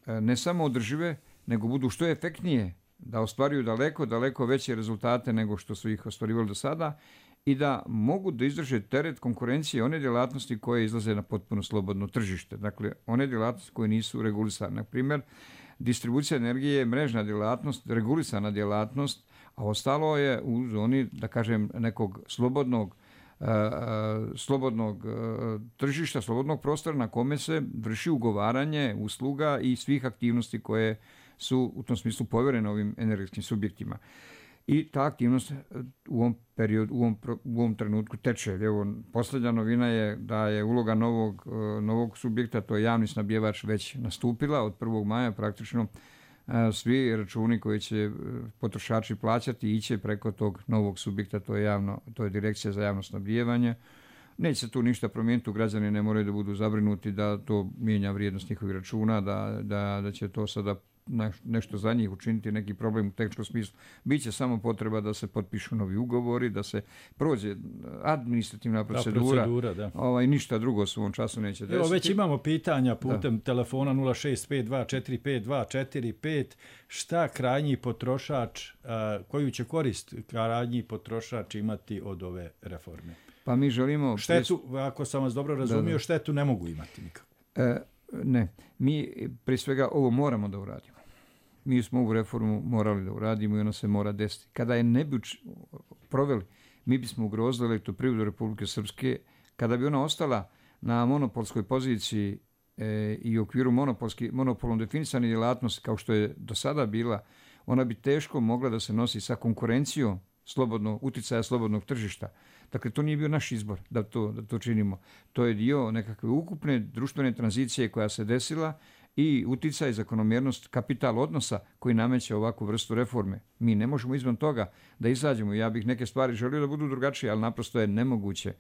e, ne samo održive, nego budu što efektnije, da ostvaruju daleko, daleko veće rezultate nego što su ih ostvarivali do sada i da mogu da izdrže teret konkurencije one djelatnosti koje izlaze na potpuno slobodno tržište. Dakle, one djelatnosti koje nisu regulisane. Na primjer, distribucija energije je mrežna djelatnost, regulisana djelatnost, a ostalo je u zoni, da kažem, nekog slobodnog Uh, slobodnog uh, tržišta, slobodnog prostora na kome se vrši ugovaranje usluga i svih aktivnosti koje su u tom smislu povjerene ovim energetskim subjektima. I ta aktivnost u ovom periodu, u ovom, u ovom trenutku teče. Evo, posljednja novina je da je uloga novog, uh, novog subjekta, to je javni snabdjevač, već nastupila od prvog maja praktično. Svi računi koji će potrošači plaćati iće preko tog novog subjekta, to je, javno, to je Direkcija za javno snabdijevanje. Neće se tu ništa promijeniti, građani ne moraju da budu zabrinuti da to mijenja vrijednost njihovih računa, da, da, da će to sada nešto za njih učiniti, neki problem u tehničkom smislu. Biće samo potreba da se potpišu novi ugovori, da se prođe administrativna procedura, da, procedura da. Ovaj, ništa drugo se u ovom času neće desiti. Evo, već imamo pitanja putem da. telefona nula šest pet dva četiri pet dva četiri pet. Šta krajnji potrošač, koju će korist krajnji potrošač imati od ove reforme? Pa mi želimo... Štetu, ako sam vas dobro razumio, da, da. štetu ne mogu imati nikako. E, ne, mi prije svega ovo moramo da uradimo. Mi smo ovu reformu morali da uradimo i ona se mora desiti. Kada je ne bi proveli, mi bismo ugrozili elektroprivredu Republike Srpske. Kada bi ona ostala na monopolskoj poziciji e, i u okviru monopolom definisane djelatnosti kao što je do sada bila, ona bi teško mogla da se nosi sa konkurencijom slobodno, uticaja slobodnog tržišta. Dakle, to nije bio naš izbor da to, da to činimo. To je dio nekakve ukupne društvene tranzicije koja se desila i uticaj zakonomjernost kapital odnosa koji nameće ovakvu vrstu reforme. Mi ne možemo izvan toga da izađemo. Ja bih neke stvari želio da budu drugačije, ali naprosto je nemoguće.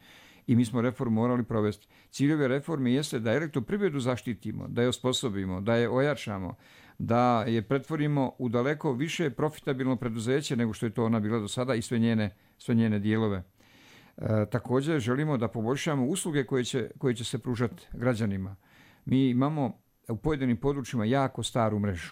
I mi smo reformu morali provesti. Ciljeve reforme jeste da elektroprivredu zaštitimo, da je osposobimo, da je ojačamo, da je pretvorimo u daleko više profitabilno preduzeće nego što je to ona bila do sada i sve njene, sve njene dijelove. E, također želimo da poboljšamo usluge koje će, koje će se pružati građanima. Mi imamo u pojedinim područjima jako staru mrežu.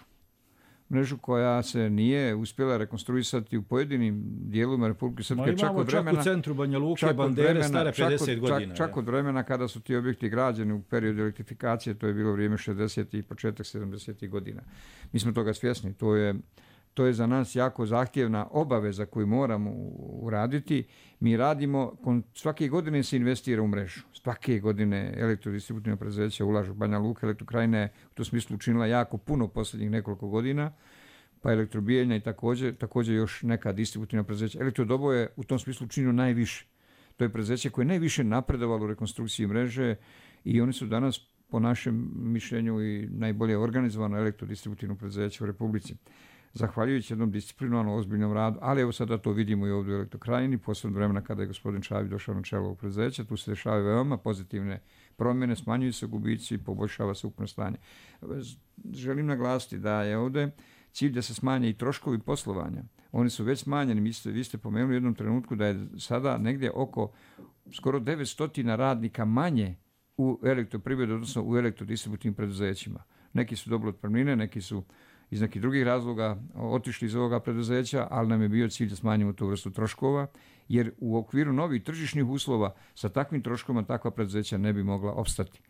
Mrežu koja se nije uspjela rekonstruisati u pojedinim dijelovima Republike Srpske. Ma imamo čak, čak u centru Banja Luke bandere vremena, stare pedeset čak od, godina. Čak, čak od vremena kada su ti objekti građeni u periodu elektrifikacije, to je bilo vrijeme šezdesetih i početak sedamdesetih godina. Mi smo toga svjesni. To je, to je za nas jako zahtjevna obaveza koju moramo uraditi. Mi radimo, svake godine se investira u mrežu. Svake godine elektrodistributivna preduzeća ulažu. Banja Luka, Elektrokrajina je u tom smislu učinila jako puno posljednjih nekoliko godina, pa Elektrobijeljna i također, također još neka distributivna preduzeća. Elektrodobo je u tom smislu učinio najviše. To je preduzeće koje je najviše napredovalo u rekonstrukciji mreže i oni su danas, po našem mišljenju, i najbolje organizovano elektrodistributivno preduzeće u Republici. Zahvaljujući jednom disciplinovanom, ozbiljnom radu, ali evo sada to vidimo i ovdje u Elektrokrajini, posebno vremena kada je gospodin Čavić došao na čelo ovog preduzeća, tu se dešavaju veoma pozitivne promjene, smanjuju se gubici i poboljšava se ukupno stanje. Želim naglasiti da je ovdje cilj da se smanje i troškovi poslovanja. Oni su već smanjeni, vi ste, vi ste pomenuli u jednom trenutku da je sada negdje oko skoro devetsto radnika manje u elektroprivredi, odnosno u elektrodistributivnim preduzećima. Neki su dobili otpremnine, neki su iz nekih drugih razloga otišli iz ovoga preduzeća, ali nam je bio cilj da smanjimo tu vrstu troškova, jer u okviru novih tržišnih uslova sa takvim troškovima takva preduzeća ne bi mogla opstati.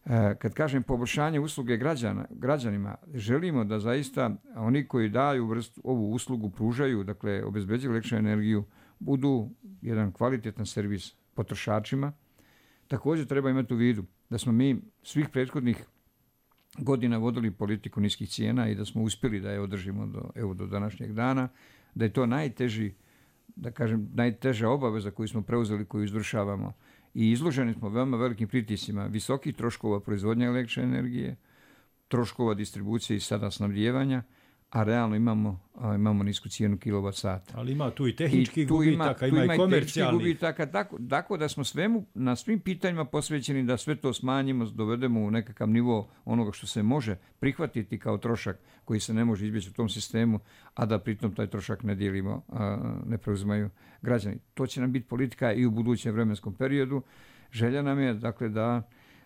E, kad kažem poboljšanje usluge građana, građanima, želimo da zaista oni koji daju vrstu, ovu uslugu, pružaju, dakle obezbeđuju električnu energiju, budu jedan kvalitetan servis potrošačima. Također treba imati u vidu da smo mi svih prethodnih godina vodili politiku niskih cijena i da smo uspjeli da je održimo do, evo, do današnjeg dana, da je to najteži, da kažem, najteža obaveza koju smo preuzeli, koju izvršavamo. I izloženi smo veoma velikim pritiscima, visokih troškova proizvodnje električne energije, troškova distribucije i sada snabdijevanja, a realno imamo, a, imamo nisku cijenu kilovat sata. Ali ima tu i tehničkih gubitaka, ima, ima i komercijalnih gubitaka, tako, tako da smo svemu, na svim pitanjima posvećeni da sve to smanjimo, dovedemo u nekakav nivo onoga što se može prihvatiti kao trošak koji se ne može izbjeći u tom sistemu, a da pritom taj trošak ne dijelimo, a, ne preuzimaju građani. To će nam biti politika i u budućem vremenskom periodu. Želja nam je, dakle, da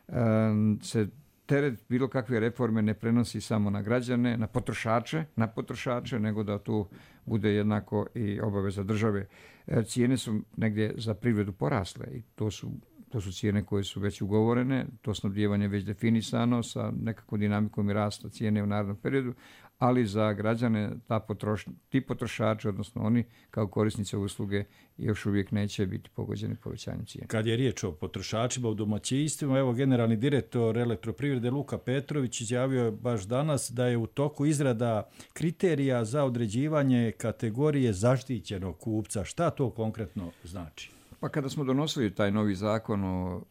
a, se teret bilo kakve reforme ne prenosi samo na građane, na potrošače, na potrošače, nego da tu bude jednako i obaveza države. Cijene su negdje za privredu porasle i to su, to su cijene koje su već ugovorene, to snabdijevanje već definisano sa nekakvom dinamikom i rasta cijene u narednom periodu, ali za građane ta potroš, ti potrošači, odnosno oni kao korisnici usluge, još uvijek neće biti pogođeni povećanjem cijene. Kad je riječ o potrošačima u domaćinstvima, evo generalni direktor Elektroprivrede Luka Petrović izjavio je baš danas da je u toku izrada kriterija za određivanje kategorije zaštićenog kupca. Šta to konkretno znači? Pa kada smo donosili taj novi zakon o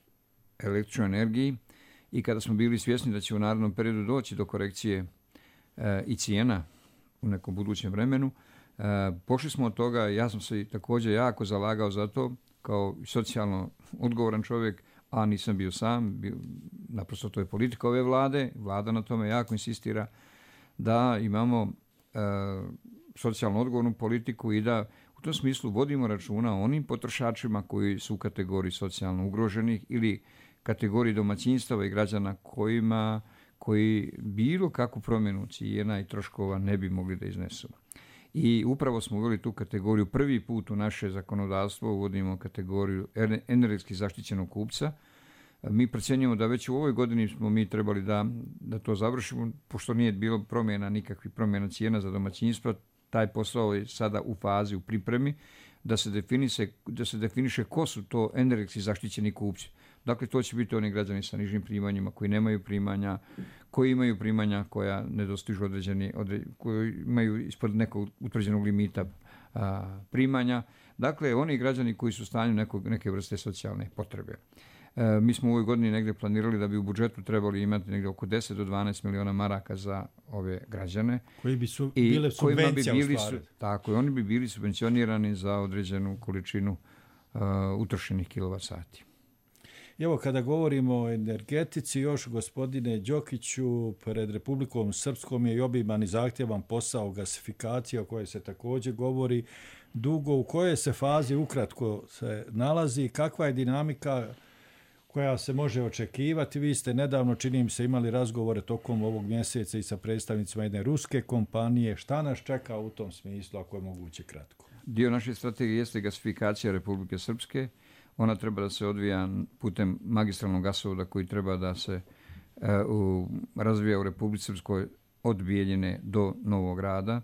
električnoj energiji i kada smo bili svjesni da će u narednom periodu doći do korekcije e, i cijena u nekom budućem vremenu, e, pošli smo od toga, ja sam se također jako zalagao za to kao socijalno odgovoran čovjek, a nisam bio sam, bio, naprosto to je politika ove vlade, vlada na tome jako insistira da imamo e, socijalno odgovornu politiku i da u tom smislu vodimo računa o onim potrošačima koji su u kategoriji socijalno ugroženih ili kategoriji domaćinstava i građana kojima, koji bilo kakvu promjenu cijena i troškova ne bi mogli da iznesu. I upravo smo uveli tu kategoriju, prvi put u naše zakonodavstvo uvodimo kategoriju energetski zaštićenog kupca. Mi procjenjujemo da već u ovoj godini smo mi trebali da, da to završimo, pošto nije bilo promjena, nikakvih promjena cijena za domaćinstva. Taj posao je sada u fazi, u pripremi, da se definiše, da se definiše ko su to energetski zaštićeni kupci. Dakle, to će biti oni građani sa nižim primanjima, koji nemaju primanja, koji imaju primanja koja ne dostižu određeni, odre, koji imaju ispod nekog utvrđenog limita a, primanja. Dakle, oni građani koji su u stanju nekog, neke vrste socijalne potrebe. E, mi smo u ovoj godini negdje planirali da bi u budžetu trebali imati negdje oko deset do dvanaest miliona maraka za ove građane. Koji bi su bile subvencija bi bili u stvari. Tako, oni bi bili subvencionirani za određenu količinu uh, utrošenih kilovat sati. Evo, kada govorimo o energetici, još gospodine Đokiću, pred Republikom Srpskom je i obiman i zahtjevan posao gasifikacije o kojoj se također govori dugo. U kojoj se fazi ukratko se nalazi, kakva je dinamika koja se može očekivati? Vi ste nedavno, čini mi se, imali razgovore tokom ovog mjeseca i sa predstavnicima jedne ruske kompanije. Šta nas čeka u tom smislu, ako je moguće kratko? Dio naše strategije jeste gasifikacija Republike Srpske. Ona treba da se odvija putem magistralnog gasovoda koji treba da se uh, u, razvija u Republici Srpskoj od Bijeljine do Novog Grada.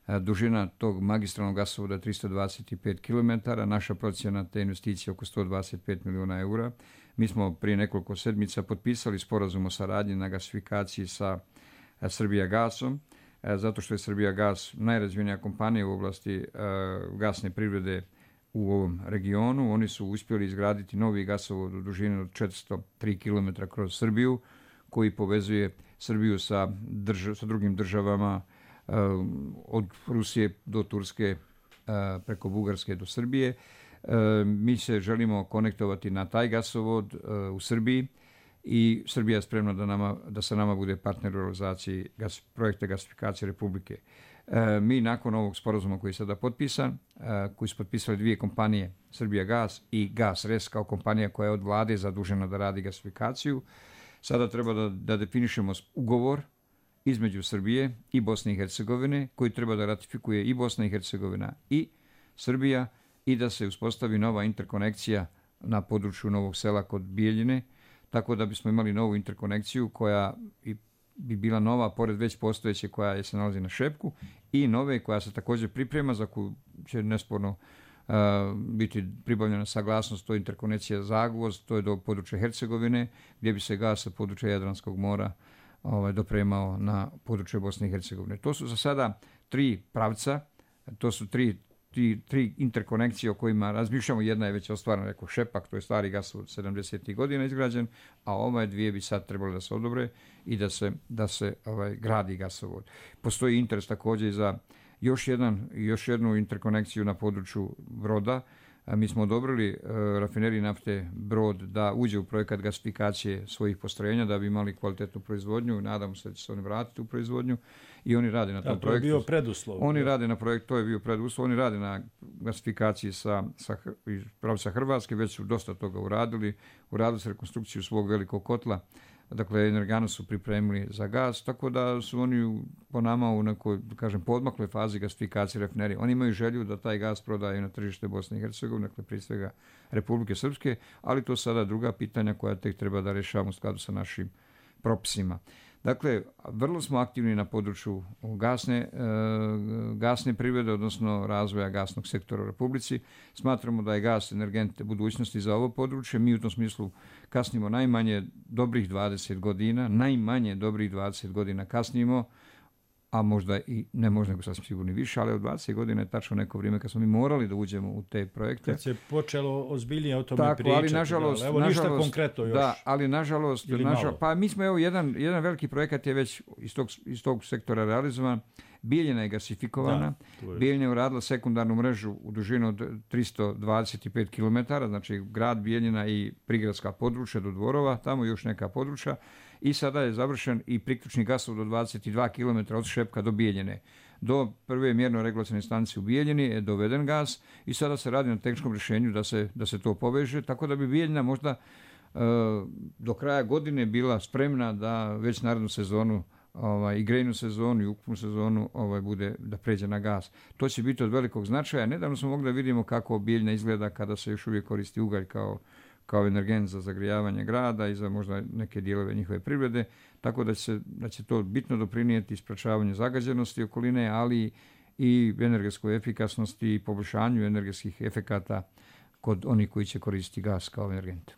Uh, dužina tog magistralnog gasovoda je tristo dvadeset pet kilometara. Naša procjena te investicije je oko sto dvadeset pet miliona eura. Mi smo prije nekoliko sedmica potpisali sporazum o saradnji na gasifikaciji sa uh, Srbijagasom, uh, zato što je Srbijagas najrazvijenija kompanija u oblasti uh, gasne privrede u ovom regionu. Oni su uspjeli izgraditi novi gasovod u dužini od četiristo tri kilometra kroz Srbiju, koji povezuje Srbiju sa, drž- sa drugim državama uh, od Rusije do Turske, uh, preko Bugarske do Srbije. Uh, mi se želimo konektovati na taj gasovod uh, u Srbiji i Srbija je spremna da, nama, da sa nama bude partner u realizaciji gas, projekta gasifikacije Republike. E, mi nakon ovog sporazuma koji je sada potpisan, e, koji su potpisali dvije kompanije, Srbijagas i GasRes kao kompanija koja je od vlade zadužena da radi gasifikaciju, sada treba da, da definišemo ugovor između Srbije i Bosne i Hercegovine, koji treba da ratifikuje i Bosna i Hercegovina i Srbija i da se uspostavi nova interkonekcija na području Novog Sela kod Bijeljine, tako da bismo imali novu interkonekciju koja i bi bila nova, pored već postojeće koja se nalazi na Šepku, i nove koja se također priprema, za koju će nesporno uh, biti pribavljena saglasnost, to je interkonekcija Zagvozd, to je do područja Hercegovine, gdje bi se gas sa područja Jadranskog mora ovaj, dopremao na područje Bosne i Hercegovine. To su za sada tri pravca, to su tri, tri, tri interkonekcije o kojima razmišljamo. Jedna je već ostvarena, rekao Šepak, to je stari gasovod sedamdesetih godina izgrađen, a ove dvije bi sad trebalo da se odobre i da se, da se ovaj, gradi gasovod. Postoji interes također i za još, jedan, još jednu interkonekciju na području Broda. Mi smo odobrili uh, rafineriji nafte Brod da uđe u projekat gasifikacije svojih postrojenja da bi imali kvalitetnu proizvodnju. Nadamo se da će se oni vratiti u proizvodnju i oni rade na tom da, to projektu. Je bio preduslov. Oni rade na projektu, to je bio preduslov. Oni rade na gasifikaciji sa, sa iz pravca Hrvatske, već su dosta toga uradili. Uradili su rekonstrukciju svog velikog kotla. Dakle, Energanu su pripremili za gas, tako da su oni po nama u nekoj, kažem, podmakloj fazi gasifikacije rafinerije. Oni imaju želju da taj gas prodaju na tržište Bosne i Hercegovine, dakle, prije svega Republike Srpske, ali to sada druga pitanja koja tek treba da rješavamo u skladu sa našim propisima. Dakle, vrlo smo aktivni na području gasne, e, gasne privrede, odnosno razvoja gasnog sektora u Republici. Smatramo da je gas energent budućnosti za ovo područje. Mi u tom smislu kasnimo najmanje dobrih dvadeset godina, najmanje dobrih dvadeset godina kasnimo, a možda i ne možda nego sasvim sigurno više, ali od dvadeset godina je tačno neko vrijeme kad smo mi morali da uđemo u te projekte. Kad se počelo ozbiljnije o tome tako, pričati. Ali nažalost, da, evo nažalost, ništa konkretno još. Da, ali nažalost, nažalost pa mi smo evo jedan, jedan veliki projekat je već iz tog, iz tog sektora realizovan. Bijeljina je gasifikovana. Da, je. Bijeljina je uradila sekundarnu mrežu u dužinu od tristo dvadeset pet kilometara, znači grad Bijeljina i prigradska područja do Dvorova, tamo još neka područja. I sada je završen i priključni gasovod do dvadeset dva kilometra od Šepka do Bijeljine. Do prve mjerno-regulacione stanice u Bijeljini je doveden gas i sada se radi na tehničkom rješenju da se, da se to poveže, tako da bi Bijeljina možda uh, do kraja godine bila spremna da već narednu sezonu ovaj, i grejnu sezonu i ukupnu sezonu ovaj, bude da pređe na gas. To će biti od velikog značaja. Nedavno smo mogli da vidimo kako Bijeljina izgleda kada se još uvijek koristi ugalj kao kao energent za zagrijavanje grada i za možda neke dijelove njihove privrede, tako da će, da će to bitno doprinijeti sprečavanju zagađenosti okoline, ali i energetskoj efikasnosti i poboljšanju energetskih efekata kod onih koji će koristiti gas kao energent.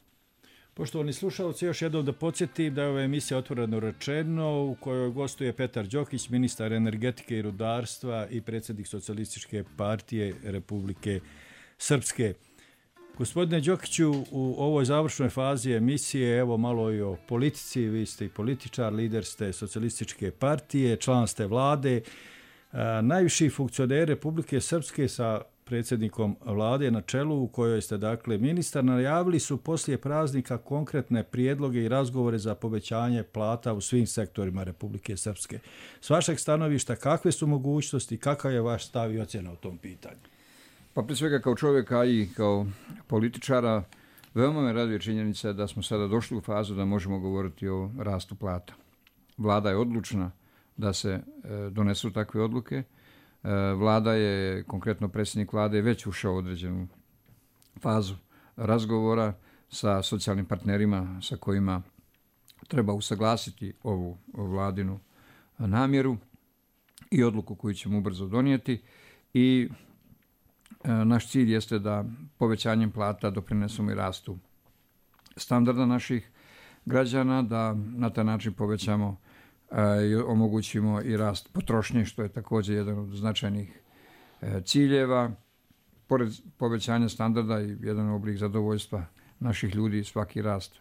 Poštovani slušalci, još jednom da podsjetim da je ova emisija Otvoreno rečeno u kojoj gostuje Petar Đokić, ministar energetike i rudarstva i predsjednik Socijalističke partije Republike Srpske. Gospodine Đokiću, u ovoj završnoj fazi emisije, evo malo i o politici, vi ste i političar, lider ste Socijalističke partije, član ste vlade, a, najviši funkcioneri Republike Srpske sa predsjednikom vlade na čelu u kojoj ste dakle ministar, najavili su poslije praznika konkretne prijedloge i razgovore za povećanje plata u svim sektorima Republike Srpske. S vašeg stanovišta kakve su mogućnosti, kakav je vaš stav i ocjena u tom pitanju? Pa prije svega kao čovjeka i kao političara veoma me raduje činjenica da smo sada došli u fazu da možemo govoriti o rastu plata. Vlada je odlučna da se e, donesu takve odluke. E, Vlada je, konkretno predsjednik vlade, već ušao u određenu fazu razgovora sa socijalnim partnerima sa kojima treba usaglasiti ovu vladinu namjeru i odluku koju ćemo ubrzo donijeti i naš cilj jeste da povećanjem plata doprinesemo i rastu standarda naših građana, da na taj način povećamo i omogućimo i rast potrošnje, što je također jedan od značajnih ciljeva. Pored povećanja standarda i jedan oblik zadovoljstva naših ljudi, svaki rast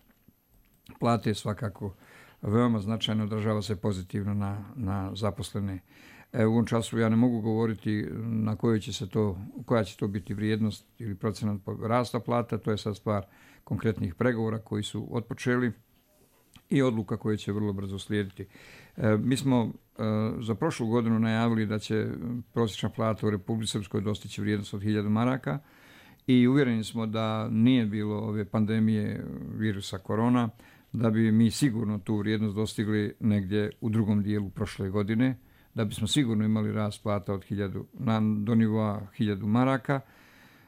plate svakako veoma značajno odražava se pozitivno na, na zaposlene. E, u ovom času ja ne mogu govoriti na kojoj će se to, koja će to biti vrijednost ili procenat rasta plata, to je sad stvar konkretnih pregovora koji su otpočeli i odluka koje će vrlo brzo slijediti. E, mi smo e, za prošlu godinu najavili da će prosječna plata u Republici Srpskoj dostići vrijednost od hiljadu maraka i uvjereni smo da nije bilo ove pandemije virusa korona, da bi mi sigurno tu vrijednost dostigli negdje u drugom dijelu prošle godine, da bismo sigurno imali rast plata od hiljadu, na, do nivoa hiljadu maraka,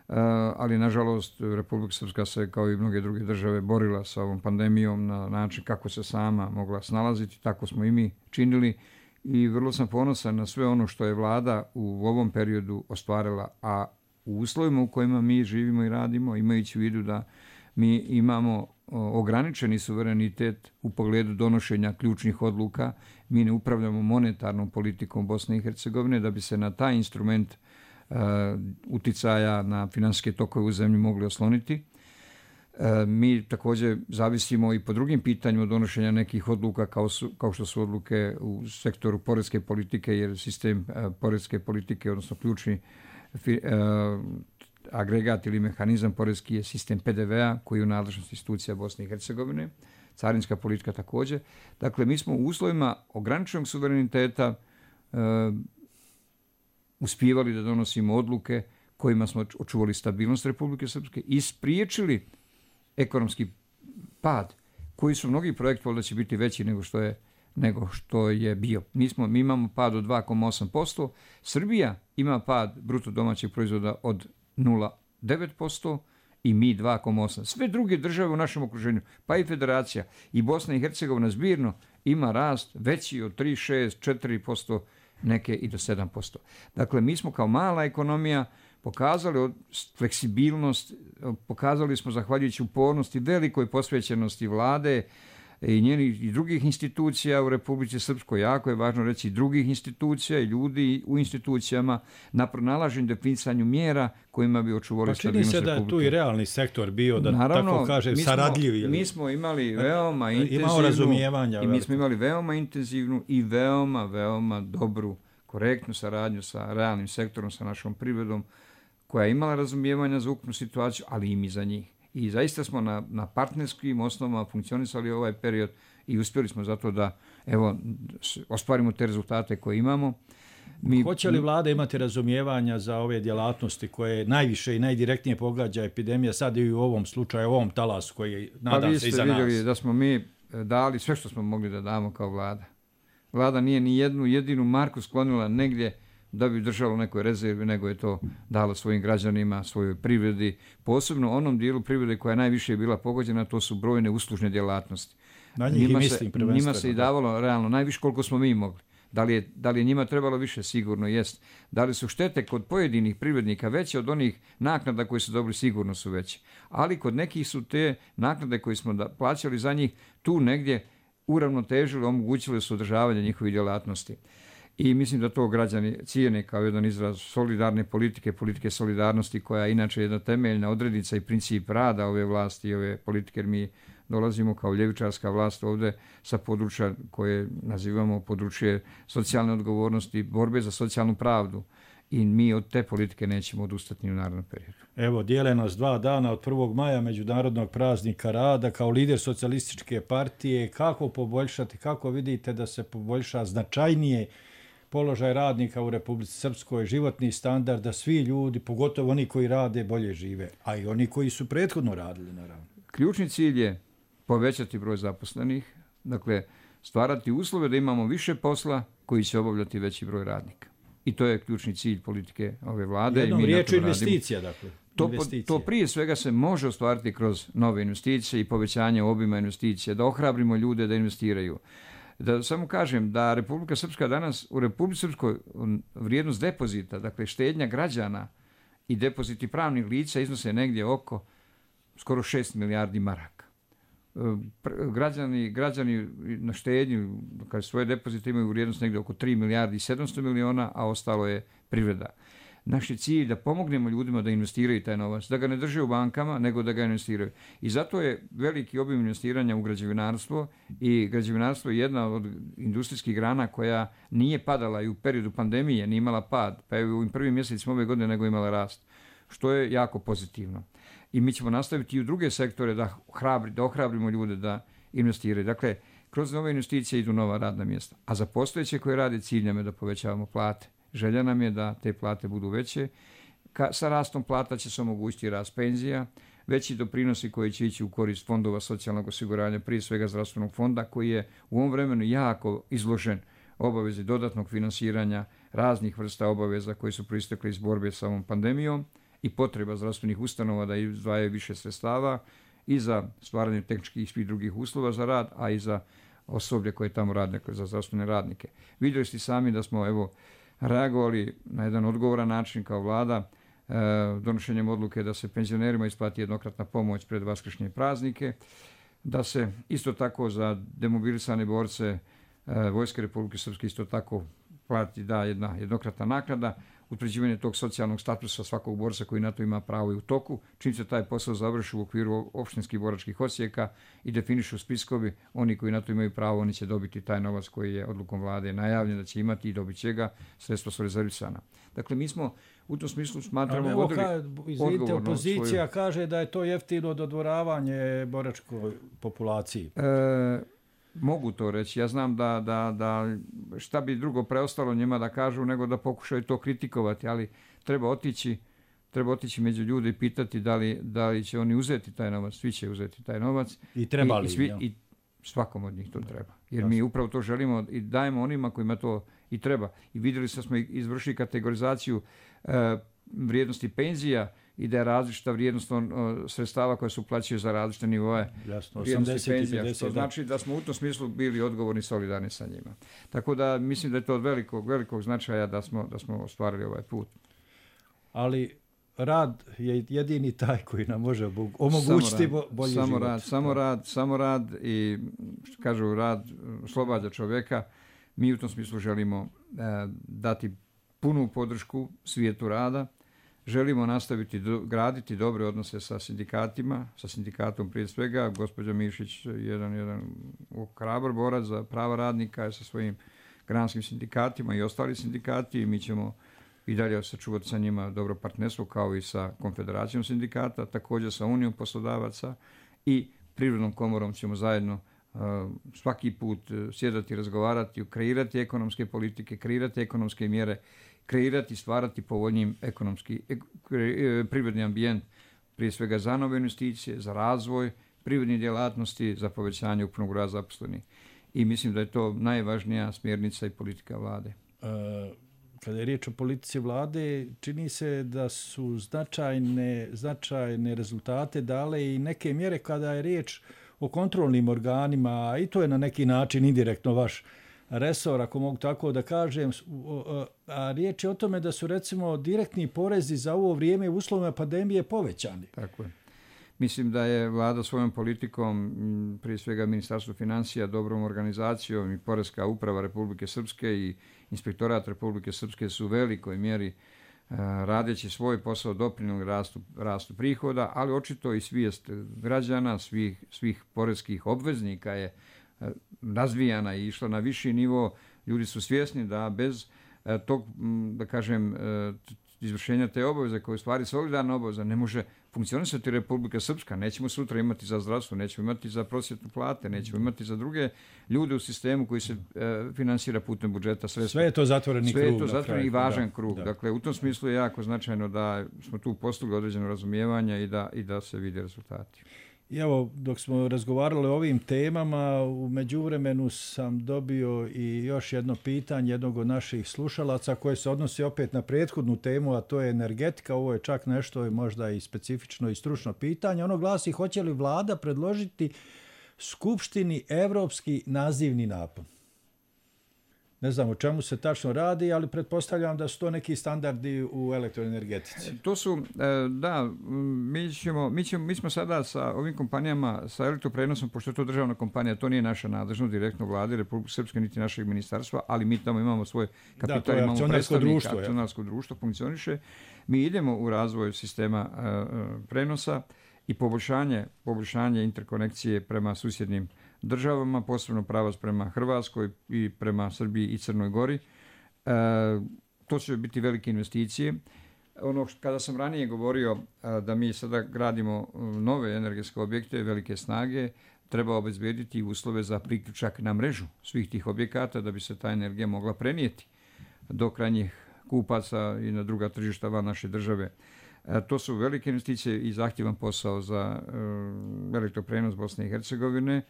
uh, ali nažalost Republika Srpska se kao i mnoge druge države borila sa ovom pandemijom na način kako se sama mogla snalaziti, tako smo i mi činili i vrlo sam ponosan na sve ono što je vlada u ovom periodu ostvarila, a u uslovima u kojima mi živimo i radimo, imajući u vidu da mi imamo ograničeni suverenitet u pogledu donošenja ključnih odluka. Mi ne upravljamo monetarnom politikom Bosne i Hercegovine da bi se na taj instrument uh, uticaja na finansijske tokove u zemlji mogli osloniti. Uh, mi također zavisimo i po drugim pitanjima donošenja nekih odluka kao, su, kao što su odluke u sektoru poreske politike, jer sistem uh, poreske politike, odnosno ključni uh, agregat ili mehanizam poreski je sistem P D V-a koji je u nadležnosti institucija Bosne i Hercegovine, carinska politika također. Dakle, mi smo u uslovima ograničenog suvereniteta uh, uspijevali da donosimo odluke kojima smo očuvali stabilnost Republike Srpske i spriječili ekonomski pad, koji su mnogi projekti da će biti veći nego što je, nego što je bio. Mi, smo, mi imamo pad od dva zarez osam posto, Srbija ima pad bruto domaćeg proizvoda od nula zarez devet posto i mi dva zarez osam. Sve druge države u našem okruženju, pa i Federacija i Bosna i Hercegovina zbirno ima rast veći od tri, šest, četiri posto, neke i do sedam posto. Dakle, mi smo kao mala ekonomija pokazali fleksibilnost, pokazali smo zahvaljujući upornosti, velikoj posvećenosti vlade i njenih i drugih institucija u Republici Srpskoj, jako je važno reći drugih institucija i ljudi u institucijama na pronalaženju definisanju mjera kojima bi očuvali stabilnost Republike. Pa čini se da je tu i realni sektor bio, da Naravno, tako kažem, saradljivi. Mi smo imali veoma intenzivnu, imao razumijevanja, i mi smo imali veoma intenzivnu i veoma, veoma dobru, korektnu saradnju sa realnim sektorom, sa našom privredom, koja je imala razumijevanja za ukupnu situaciju, ali i mi za njih. I zaista smo na, na partnerskim osnovama funkcionisali ovaj period i uspjeli smo zato da evo, ostvarimo te rezultate koje imamo. Mi, Hoće li vlada imati razumijevanja za ove djelatnosti koje najviše i najdirektnije pogađa epidemija sad i u ovom slučaju, u ovom talasu koji nadam pa se iza nas? Pa vi ste vidjeli da smo mi dali sve što smo mogli da damo kao vlada. Vlada nije ni jednu jedinu marku sklonila negdje da bi držalo nekoj rezervi, nego je to dalo svojim građanima, svojoj privredi, posebno onom dijelu privrede koja je najviše bila pogođena, to su brojne uslužne djelatnosti. Na njih njima, i mislim, se, njima se i davalo realno najviše koliko smo mi mogli. Da li, je, da li je njima trebalo više? Sigurno jest. Da li su štete kod pojedinih privrednika veće od onih naknada koje su dobili? Sigurno su veće. Ali kod nekih su te naknade koje smo da, plaćali za njih tu negdje uravnotežili, omogućili su održavanje njihovih djelatnosti. I mislim da to građani cijene kao jedan izraz solidarne politike, politike solidarnosti, koja je inače jedna temeljna odrednica i princip rada ove vlasti i ove politike, jer mi dolazimo kao ljevičarska vlast ovdje sa područja koje nazivamo područje socijalne odgovornosti, borbe za socijalnu pravdu. I mi od te politike nećemo odustati ni u narednom periodu. Evo, dijele nas dva dana od prvog maja, Međunarodnog praznika rada. Kao lider socijalističke partije, kako poboljšati, kako vidite da se poboljša značajnije položaj radnika u Republici Srpskoj, životni standard, da svi ljudi, pogotovo oni koji rade, bolje žive, a i oni koji su prethodno radili, naravno. Ključni cilj je povećati broj zaposlenih, dakle stvarati uslove da imamo više posla koji će obavljati veći broj radnika. I to je ključni cilj politike ove vlade. Jednom i mi riječu investicija, dakle. To, investicije. to prije svega se može ostvariti kroz nove investicije i povećanje obima investicija, da ohrabrimo ljude da investiraju. Da samo kažem da Republika Srpska danas, u Republici Srpskoj vrijednost depozita, dakle štednja građana i depoziti pravnih lica iznose negdje oko skoro šest milijardi maraka. Građani, građani na štednju, kad svoje depozite imaju vrijednost negdje oko tri milijardi i sedamsto miliona, a ostalo je privreda. Naš je cilj da pomognemo ljudima da investiraju taj novac, da ga ne drže u bankama, nego da ga investiraju. I zato je veliki obim investiranja u građevinarstvo i građevinarstvo je jedna od industrijskih grana koja nije padala i u periodu pandemije, nije imala pad, pa je u ovim prvim mjesecima ove godine nego imala rast, što je jako pozitivno. I mi ćemo nastaviti i u druge sektore da, hrabri, da ohrabrimo ljude da investiraju. Dakle, kroz nove investicije idu nova radna mjesta. A za postojeće koje rade cilj nam je da povećavamo plate. Želja nam je da te plate budu veće. Ka, sa rastom plata će se omogućiti rast penzija, veći doprinosi koji će ići u korist fondova socijalnog osiguranja, prije svega zdravstvenog fonda, koji je u ovom vremenu jako izložen obavezi dodatnog finansiranja raznih vrsta obaveza koji su proistekli iz borbe sa ovom pandemijom i potreba zdravstvenih ustanova da izdvajaju više sredstava i za stvaranje tehničkih i svih drugih uslova za rad, a i za osoblje koje tamo rade, za zdravstvene radnike. Vidjeli ste sami da smo evo reagovali na jedan odgovoran način kao vlada donošenjem odluke da se penzionerima isplati jednokratna pomoć pred vaskršnje praznike, da se isto tako za demobilisane borce Vojske Republike Srpske isto tako plati da jedna jednokratna naknada, utvrđivanje tog socijalnog statusa svakog borca koji na to ima pravo i u toku. Čim se taj posao završi u okviru opštinskih boračkih odsjeka i definišu spiskovi, oni koji na to imaju pravo, oni će dobiti taj novac koji je odlukom vlade najavljen da će imati i dobit će ga, sredstva su rezervisana. Dakle, mi smo u tom smislu smatramo vodili izvidite, opozicija svoju... kaže da je to jeftino dodvoravanje boračkoj populaciji. E, Mogu to reći. Ja znam da, da, da šta bi drugo preostalo njima da kažu nego da pokušaju to kritikovati, ali treba otići, treba otići među ljude i pitati da li, da li će oni uzeti taj novac. Svi će uzeti taj novac. I treba li? I, i, svi, i svakom od njih to treba. Jer mi upravo to želimo i dajemo onima kojima to i treba. I vidjeli smo izvršili kategorizaciju e, vrijednosti penzija i da je različita vrijednost on, o, sredstava koje su plaćaju za različite nivoje vrijednosti penzija. Pedeset, to znači da smo u tom smislu bili odgovorni i solidarni sa njima. Tako da mislim da je to od velikog, velikog značaja da smo, da smo ostvarili ovaj put. Ali rad je jedini taj koji nam može omogućiti samo rad, bolji samo život. Rad, samo rad, samo rad i što kažu rad oslobađa čovjeka. Mi u tom smislu želimo e, dati punu podršku svijetu rada. Želimo nastaviti do, graditi dobre odnose sa sindikatima, sa sindikatom prije svega. Gospođa Mišić, jedan, jedan hrabar borac za prava radnika, je sa svojim granskim sindikatima i ostali sindikati. Mi ćemo i dalje sačuvati sa njima dobro partnerstvo kao i sa Konfederacijom sindikata, također sa Unijom poslodavaca i Privrednom komorom ćemo zajedno uh, svaki put uh, sjedati, razgovarati, kreirati ekonomske politike, kreirati ekonomske mjere, kreirati, stvarati povoljnijim ekonomski, ek, privredni ambijent, prije svega za nove investicije, za razvoj privrednih djelatnosti, za povećanje ukupnog broja zaposlenih. I mislim da je to najvažnija smjernica i politika vlade. Uh, kada je riječ o politici vlade, čini se da su značajne, značajne rezultate dale i neke mjere kada je riječ o kontrolnim organima, i to je na neki način indirektno vaš resor, ako mogu tako da kažem, a riječ je o tome da su recimo direktni porezi za ovo vrijeme u uslovima pandemije povećani. Tako je. Mislim da je vlada svojom politikom, prije svega Ministarstvo financija, dobrom organizacijom i Poreska uprava Republike Srpske i Inspektorat Republike Srpske su u velikoj mjeri radeći svoj posao doprinijeli rastu, rastu prihoda, ali očito i svijest građana, svih, svih poreskih obveznika je razvijana i išla na viši nivo. Ljudi su svjesni da bez tog, da kažem, izvršenja te obaveze, koje je u stvari solidarna obaveza, ne može funkcionisati Republika Srpska. Nećemo sutra imati za zdravstvo, nećemo imati za prosvjetnu plate, nećemo imati za druge ljude u sistemu koji se e, finansira putem budžeta sredstva. Sve je to zatvoreni Sve krug. Sve je to zatvoreni i važan da, krug. Da. Dakle, u tom smislu je jako značajno da smo tu postigli određeno razumijevanje i da, i da se vide rezultati. I evo, dok smo razgovarali o ovim temama, u međuvremenu sam dobio i još jedno pitanje jednog od naših slušalaca koje se odnosi opet na prethodnu temu, a to je energetika. Ovo je čak nešto možda i specifično i stručno pitanje. Ono glasi: hoće li vlada predložiti Skupštini evropski nazivni napon? Ne znam o čemu se tačno radi, ali pretpostavljam da su to neki standardi u elektroenergetici. To su, da, mi, ćemo, mi, ćemo, mi smo sada sa ovim kompanijama, sa elektroprenosom, pošto je to državna kompanija, to nije naša nadležnost direktno vlade Republike Srpske niti našeg ministarstva, ali mi tamo imamo svoj kapital, da, imamo predstavnika, akcionarsko društvo funkcioniše. Mi idemo u razvoj sistema uh, prenosa i poboljšanje, poboljšanje interkonekcije prema susjednim državama, posebno pravac prema Hrvatskoj i prema Srbiji i Crnoj Gori. E, to će biti velike investicije. Ono što, kada sam ranije govorio a, da mi sada gradimo nove energetske objekte, velike snage, treba obezbediti uslove za priključak na mrežu svih tih objekata da bi se ta energija mogla prenijeti do krajnjih kupaca i na druga tržišta van naše države. E, to su velike investicije i zahtjevan posao za e, elektroprenos Bosne i Hercegovine.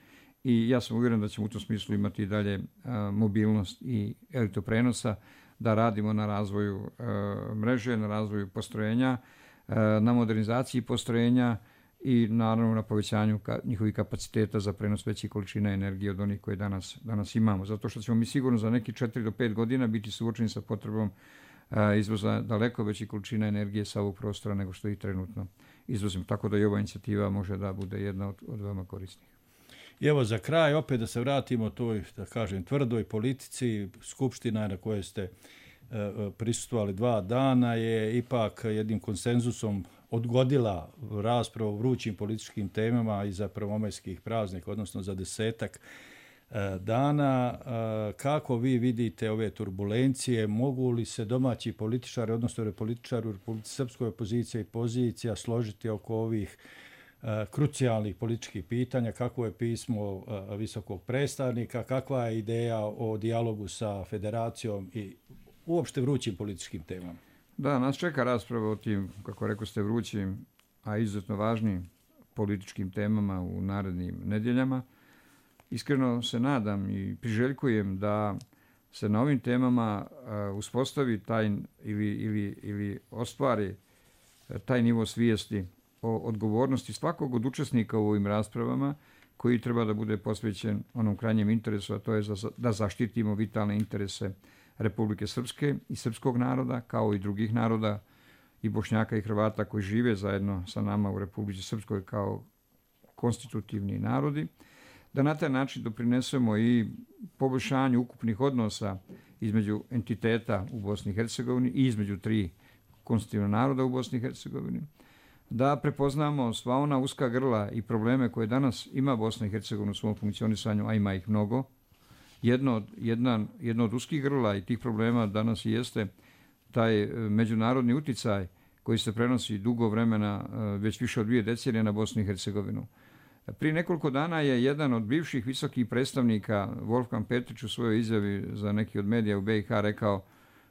I ja sam uvjeren da ćemo u tom smislu imati i dalje a, mobilnost i elektroprenosa, da radimo na razvoju a, mreže, na razvoju postrojenja, a, na modernizaciji postrojenja i naravno na povećanju ka, njihovih kapaciteta za prenos većih količina energije od onih koje danas, danas imamo. Zato što ćemo mi sigurno za neki četiri do pet godina biti suočeni sa potrebom izvoza daleko veći količina energije sa ovog prostora nego što i trenutno izvozimo. Tako da i ova inicijativa može da bude jedna od, od veoma korisnih. I evo za kraj, opet da se vratimo toj, da kažem, tvrdoj politici. Skupština na kojoj ste e, prisustvovali dva dana je ipak jednim konsenzusom odgodila raspravu o vrućim političkim temama i za prvomajskih praznika, odnosno za desetak e, dana. E, kako vi vidite ove turbulencije? Mogu li se domaći političari, odnosno političari u Republici Srpskoj, opozicija i pozicija složiti oko ovih krucijalnih političkih pitanja? Kakvo je pismo visokog predstavnika, kakva je ideja o dijalogu sa federacijom i uopšte vrućim političkim temama? Da, nas čeka rasprava o tim, kako rekao ste, vrućim, a izuzetno važnim političkim temama u narednim nedjeljama. Iskreno se nadam i priželjkujem da se na ovim temama uspostavi taj ili, ili, ili ostvari taj nivo svijesti o odgovornosti svakog od učesnika u ovim raspravama, koji treba da bude posvećen onom krajnjem interesu, a to je da zaštitimo vitalne interese Republike Srpske i srpskog naroda, kao i drugih naroda, i Bošnjaka i Hrvata koji žive zajedno sa nama u Republici Srpskoj kao konstitutivni narodi, da na taj način doprinesemo i poboljšanju ukupnih odnosa između entiteta u Bosni i Hercegovini i između tri konstitutivna naroda u Bosni i Hercegovini, da prepoznamo sva ona uska grla i probleme koje danas ima Bosna i Hercegovina u svom funkcionisanju, a ima ih mnogo. Jedno od, jedna, jedno od uskih grla i tih problema danas jeste taj međunarodni uticaj koji se prenosi dugo vremena, već više od dvije decenije, na Bosnu i Hercegovinu. Prije nekoliko dana je jedan od bivših visokih predstavnika, Wolfgang Petrić, u svojoj izjavi za neki od medija u B i H rekao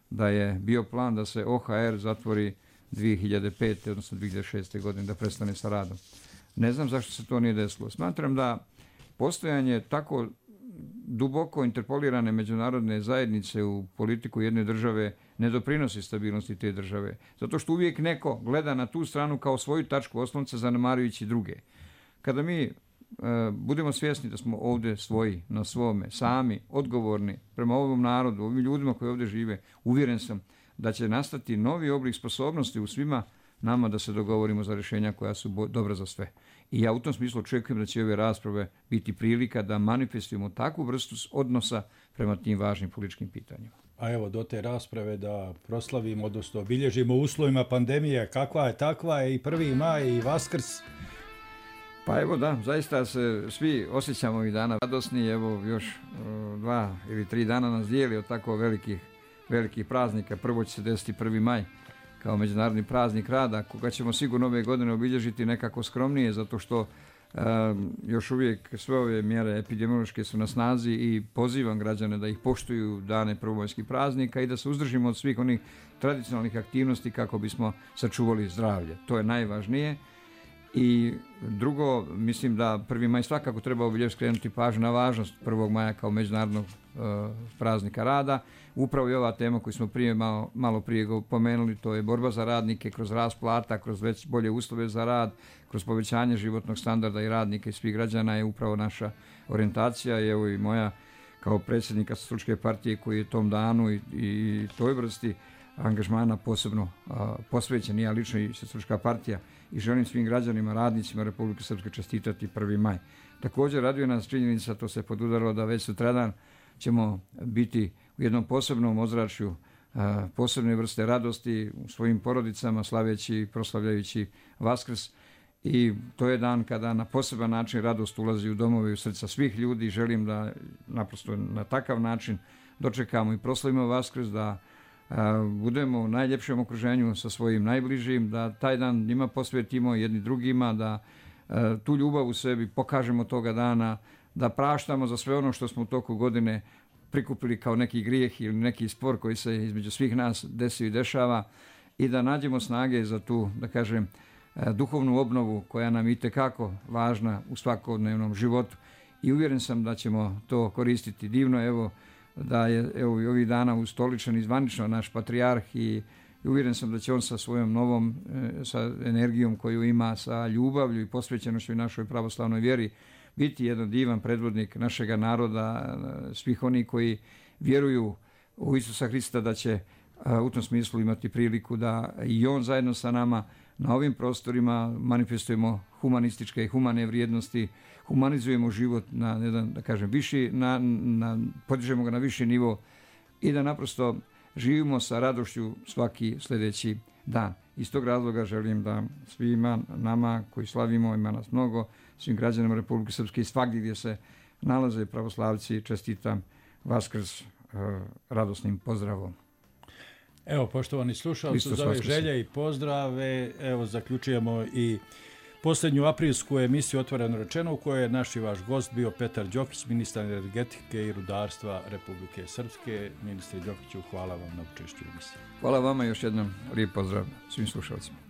da je bio plan da se O H R zatvori dvije hiljade pete. odnosno dvije hiljade šeste. godine, da prestane sa radom. Ne znam zašto se to nije desilo. Smatram da postojanje tako duboko interpolirane međunarodne zajednice u politiku jedne države ne doprinosi stabilnosti te države. Zato što uvijek neko gleda na tu stranu kao svoju tačku oslonca, zanemarujući druge. Kada mi e, budemo svjesni da smo ovdje svoji, na svome, sami, odgovorni prema ovom narodu, ovim ljudima koji ovdje žive, uvjeren sam da će nastati novi oblik sposobnosti u svima nama da se dogovorimo za rješenja koja su bo- dobra za sve. I ja u tom smislu očekujem da će ove rasprave biti prilika da manifestujemo takvu vrstu odnosa prema tim važnim političkim pitanjima. A evo, do te rasprave da proslavimo, odnosno obilježimo uslovima pandemije, kakva je takva je i prvi maj i Vaskrs. Pa evo da, zaista se svi osjećamo ovih dana radosni. Evo još uh, dva ili tri dana nas dijeli od tako velikih, velikih praznika. Prvo će se desiti prvi maj kao međunarodni praznik rada, koga ćemo sigurno ove godine obilježiti nekako skromnije, zato što um, još uvijek sve ove mjere epidemiološke su na snazi i pozivam građane da ih poštuju dane prvomajskih praznika i da se uzdržimo od svih onih tradicionalnih aktivnosti kako bismo sačuvali zdravlje. To je najvažnije. I drugo, mislim da prvi maj svakako treba obilježiti, skrenuti pažnju na važnost prvog maja kao međunarodnog uh, praznika rada. Upravo i ova tema koju smo prije malo, malo prije pomenuli, to je borba za radnike kroz rast plata, kroz već bolje uslove za rad, kroz povećanje životnog standarda i radnika i svih građana je upravo naša orijentacija. I evo i moja kao predsjednika Socijalističke partije koji je tom danu i, i toj vrsti angažmana posebno a, posvećen, ja lično i Socijalistička partija, i želim svim građanima, radnicima Republike Srpske čestitati prvi maj. Također raduje nas činjenica, to se podudarilo, da već sutradan ćemo biti u jednom posebnom ozračju, a, posebne vrste radosti u svojim porodicama, slaveći i proslavljajući Vaskrs. I to je dan kada na poseban način radost ulazi u domove i u srca svih ljudi. Želim da naprosto na takav način dočekamo i proslavimo Vaskrs, da budemo u najljepšem okruženju sa svojim najbližim, da taj dan njima posvetimo jedni drugima, da tu ljubav u sebi pokažemo toga dana, da praštamo za sve ono što smo u toku godine prikupili kao neki grijeh ili neki spor koji se između svih nas desio i dešava, i da nađemo snage za tu, da kažem, duhovnu obnovu koja nam je itekako važna u svakodnevnom životu. I uvjeren sam da ćemo to koristiti divno. Evo, da je evo, i ovih dana ustoličen i zvanično naš patrijarh, i uvjeren sam da će on sa svojom novom e, sa energijom koju ima, sa ljubavlju i posvećenošću našoj pravoslavnoj vjeri, biti jedan divan predvodnik našega naroda, svih onih koji vjeruju u Isusa Hrista, da će u tom smislu imati priliku da i on zajedno sa nama na ovim prostorima manifestujemo humanističke i humane vrijednosti, humanizujemo život na jedan, da kažem, viši, na, na, podižemo ga na viši nivo i da naprosto živimo sa radošću svaki sljedeći dan. Iz tog razloga želim da svima nama koji slavimo, ima nas mnogo, svim građanima Republike Srpske i svagdje gdje se nalaze pravoslavci, čestitam Vaskrs uh, radosnim pozdravom. Evo, poštovani slušalci, za ove želje i pozdrave, evo, zaključujemo i posljednju aprilsku emisiju Otvoreno rečeno, u kojoj je naš i vaš gost bio Petar Đokić, ministar energetike i rudarstva Republike Srpske. Ministre Đokiću, hvala vam na učešću u emisiji. Hvala vama, još jednom lijep pozdrav svim slušalcima.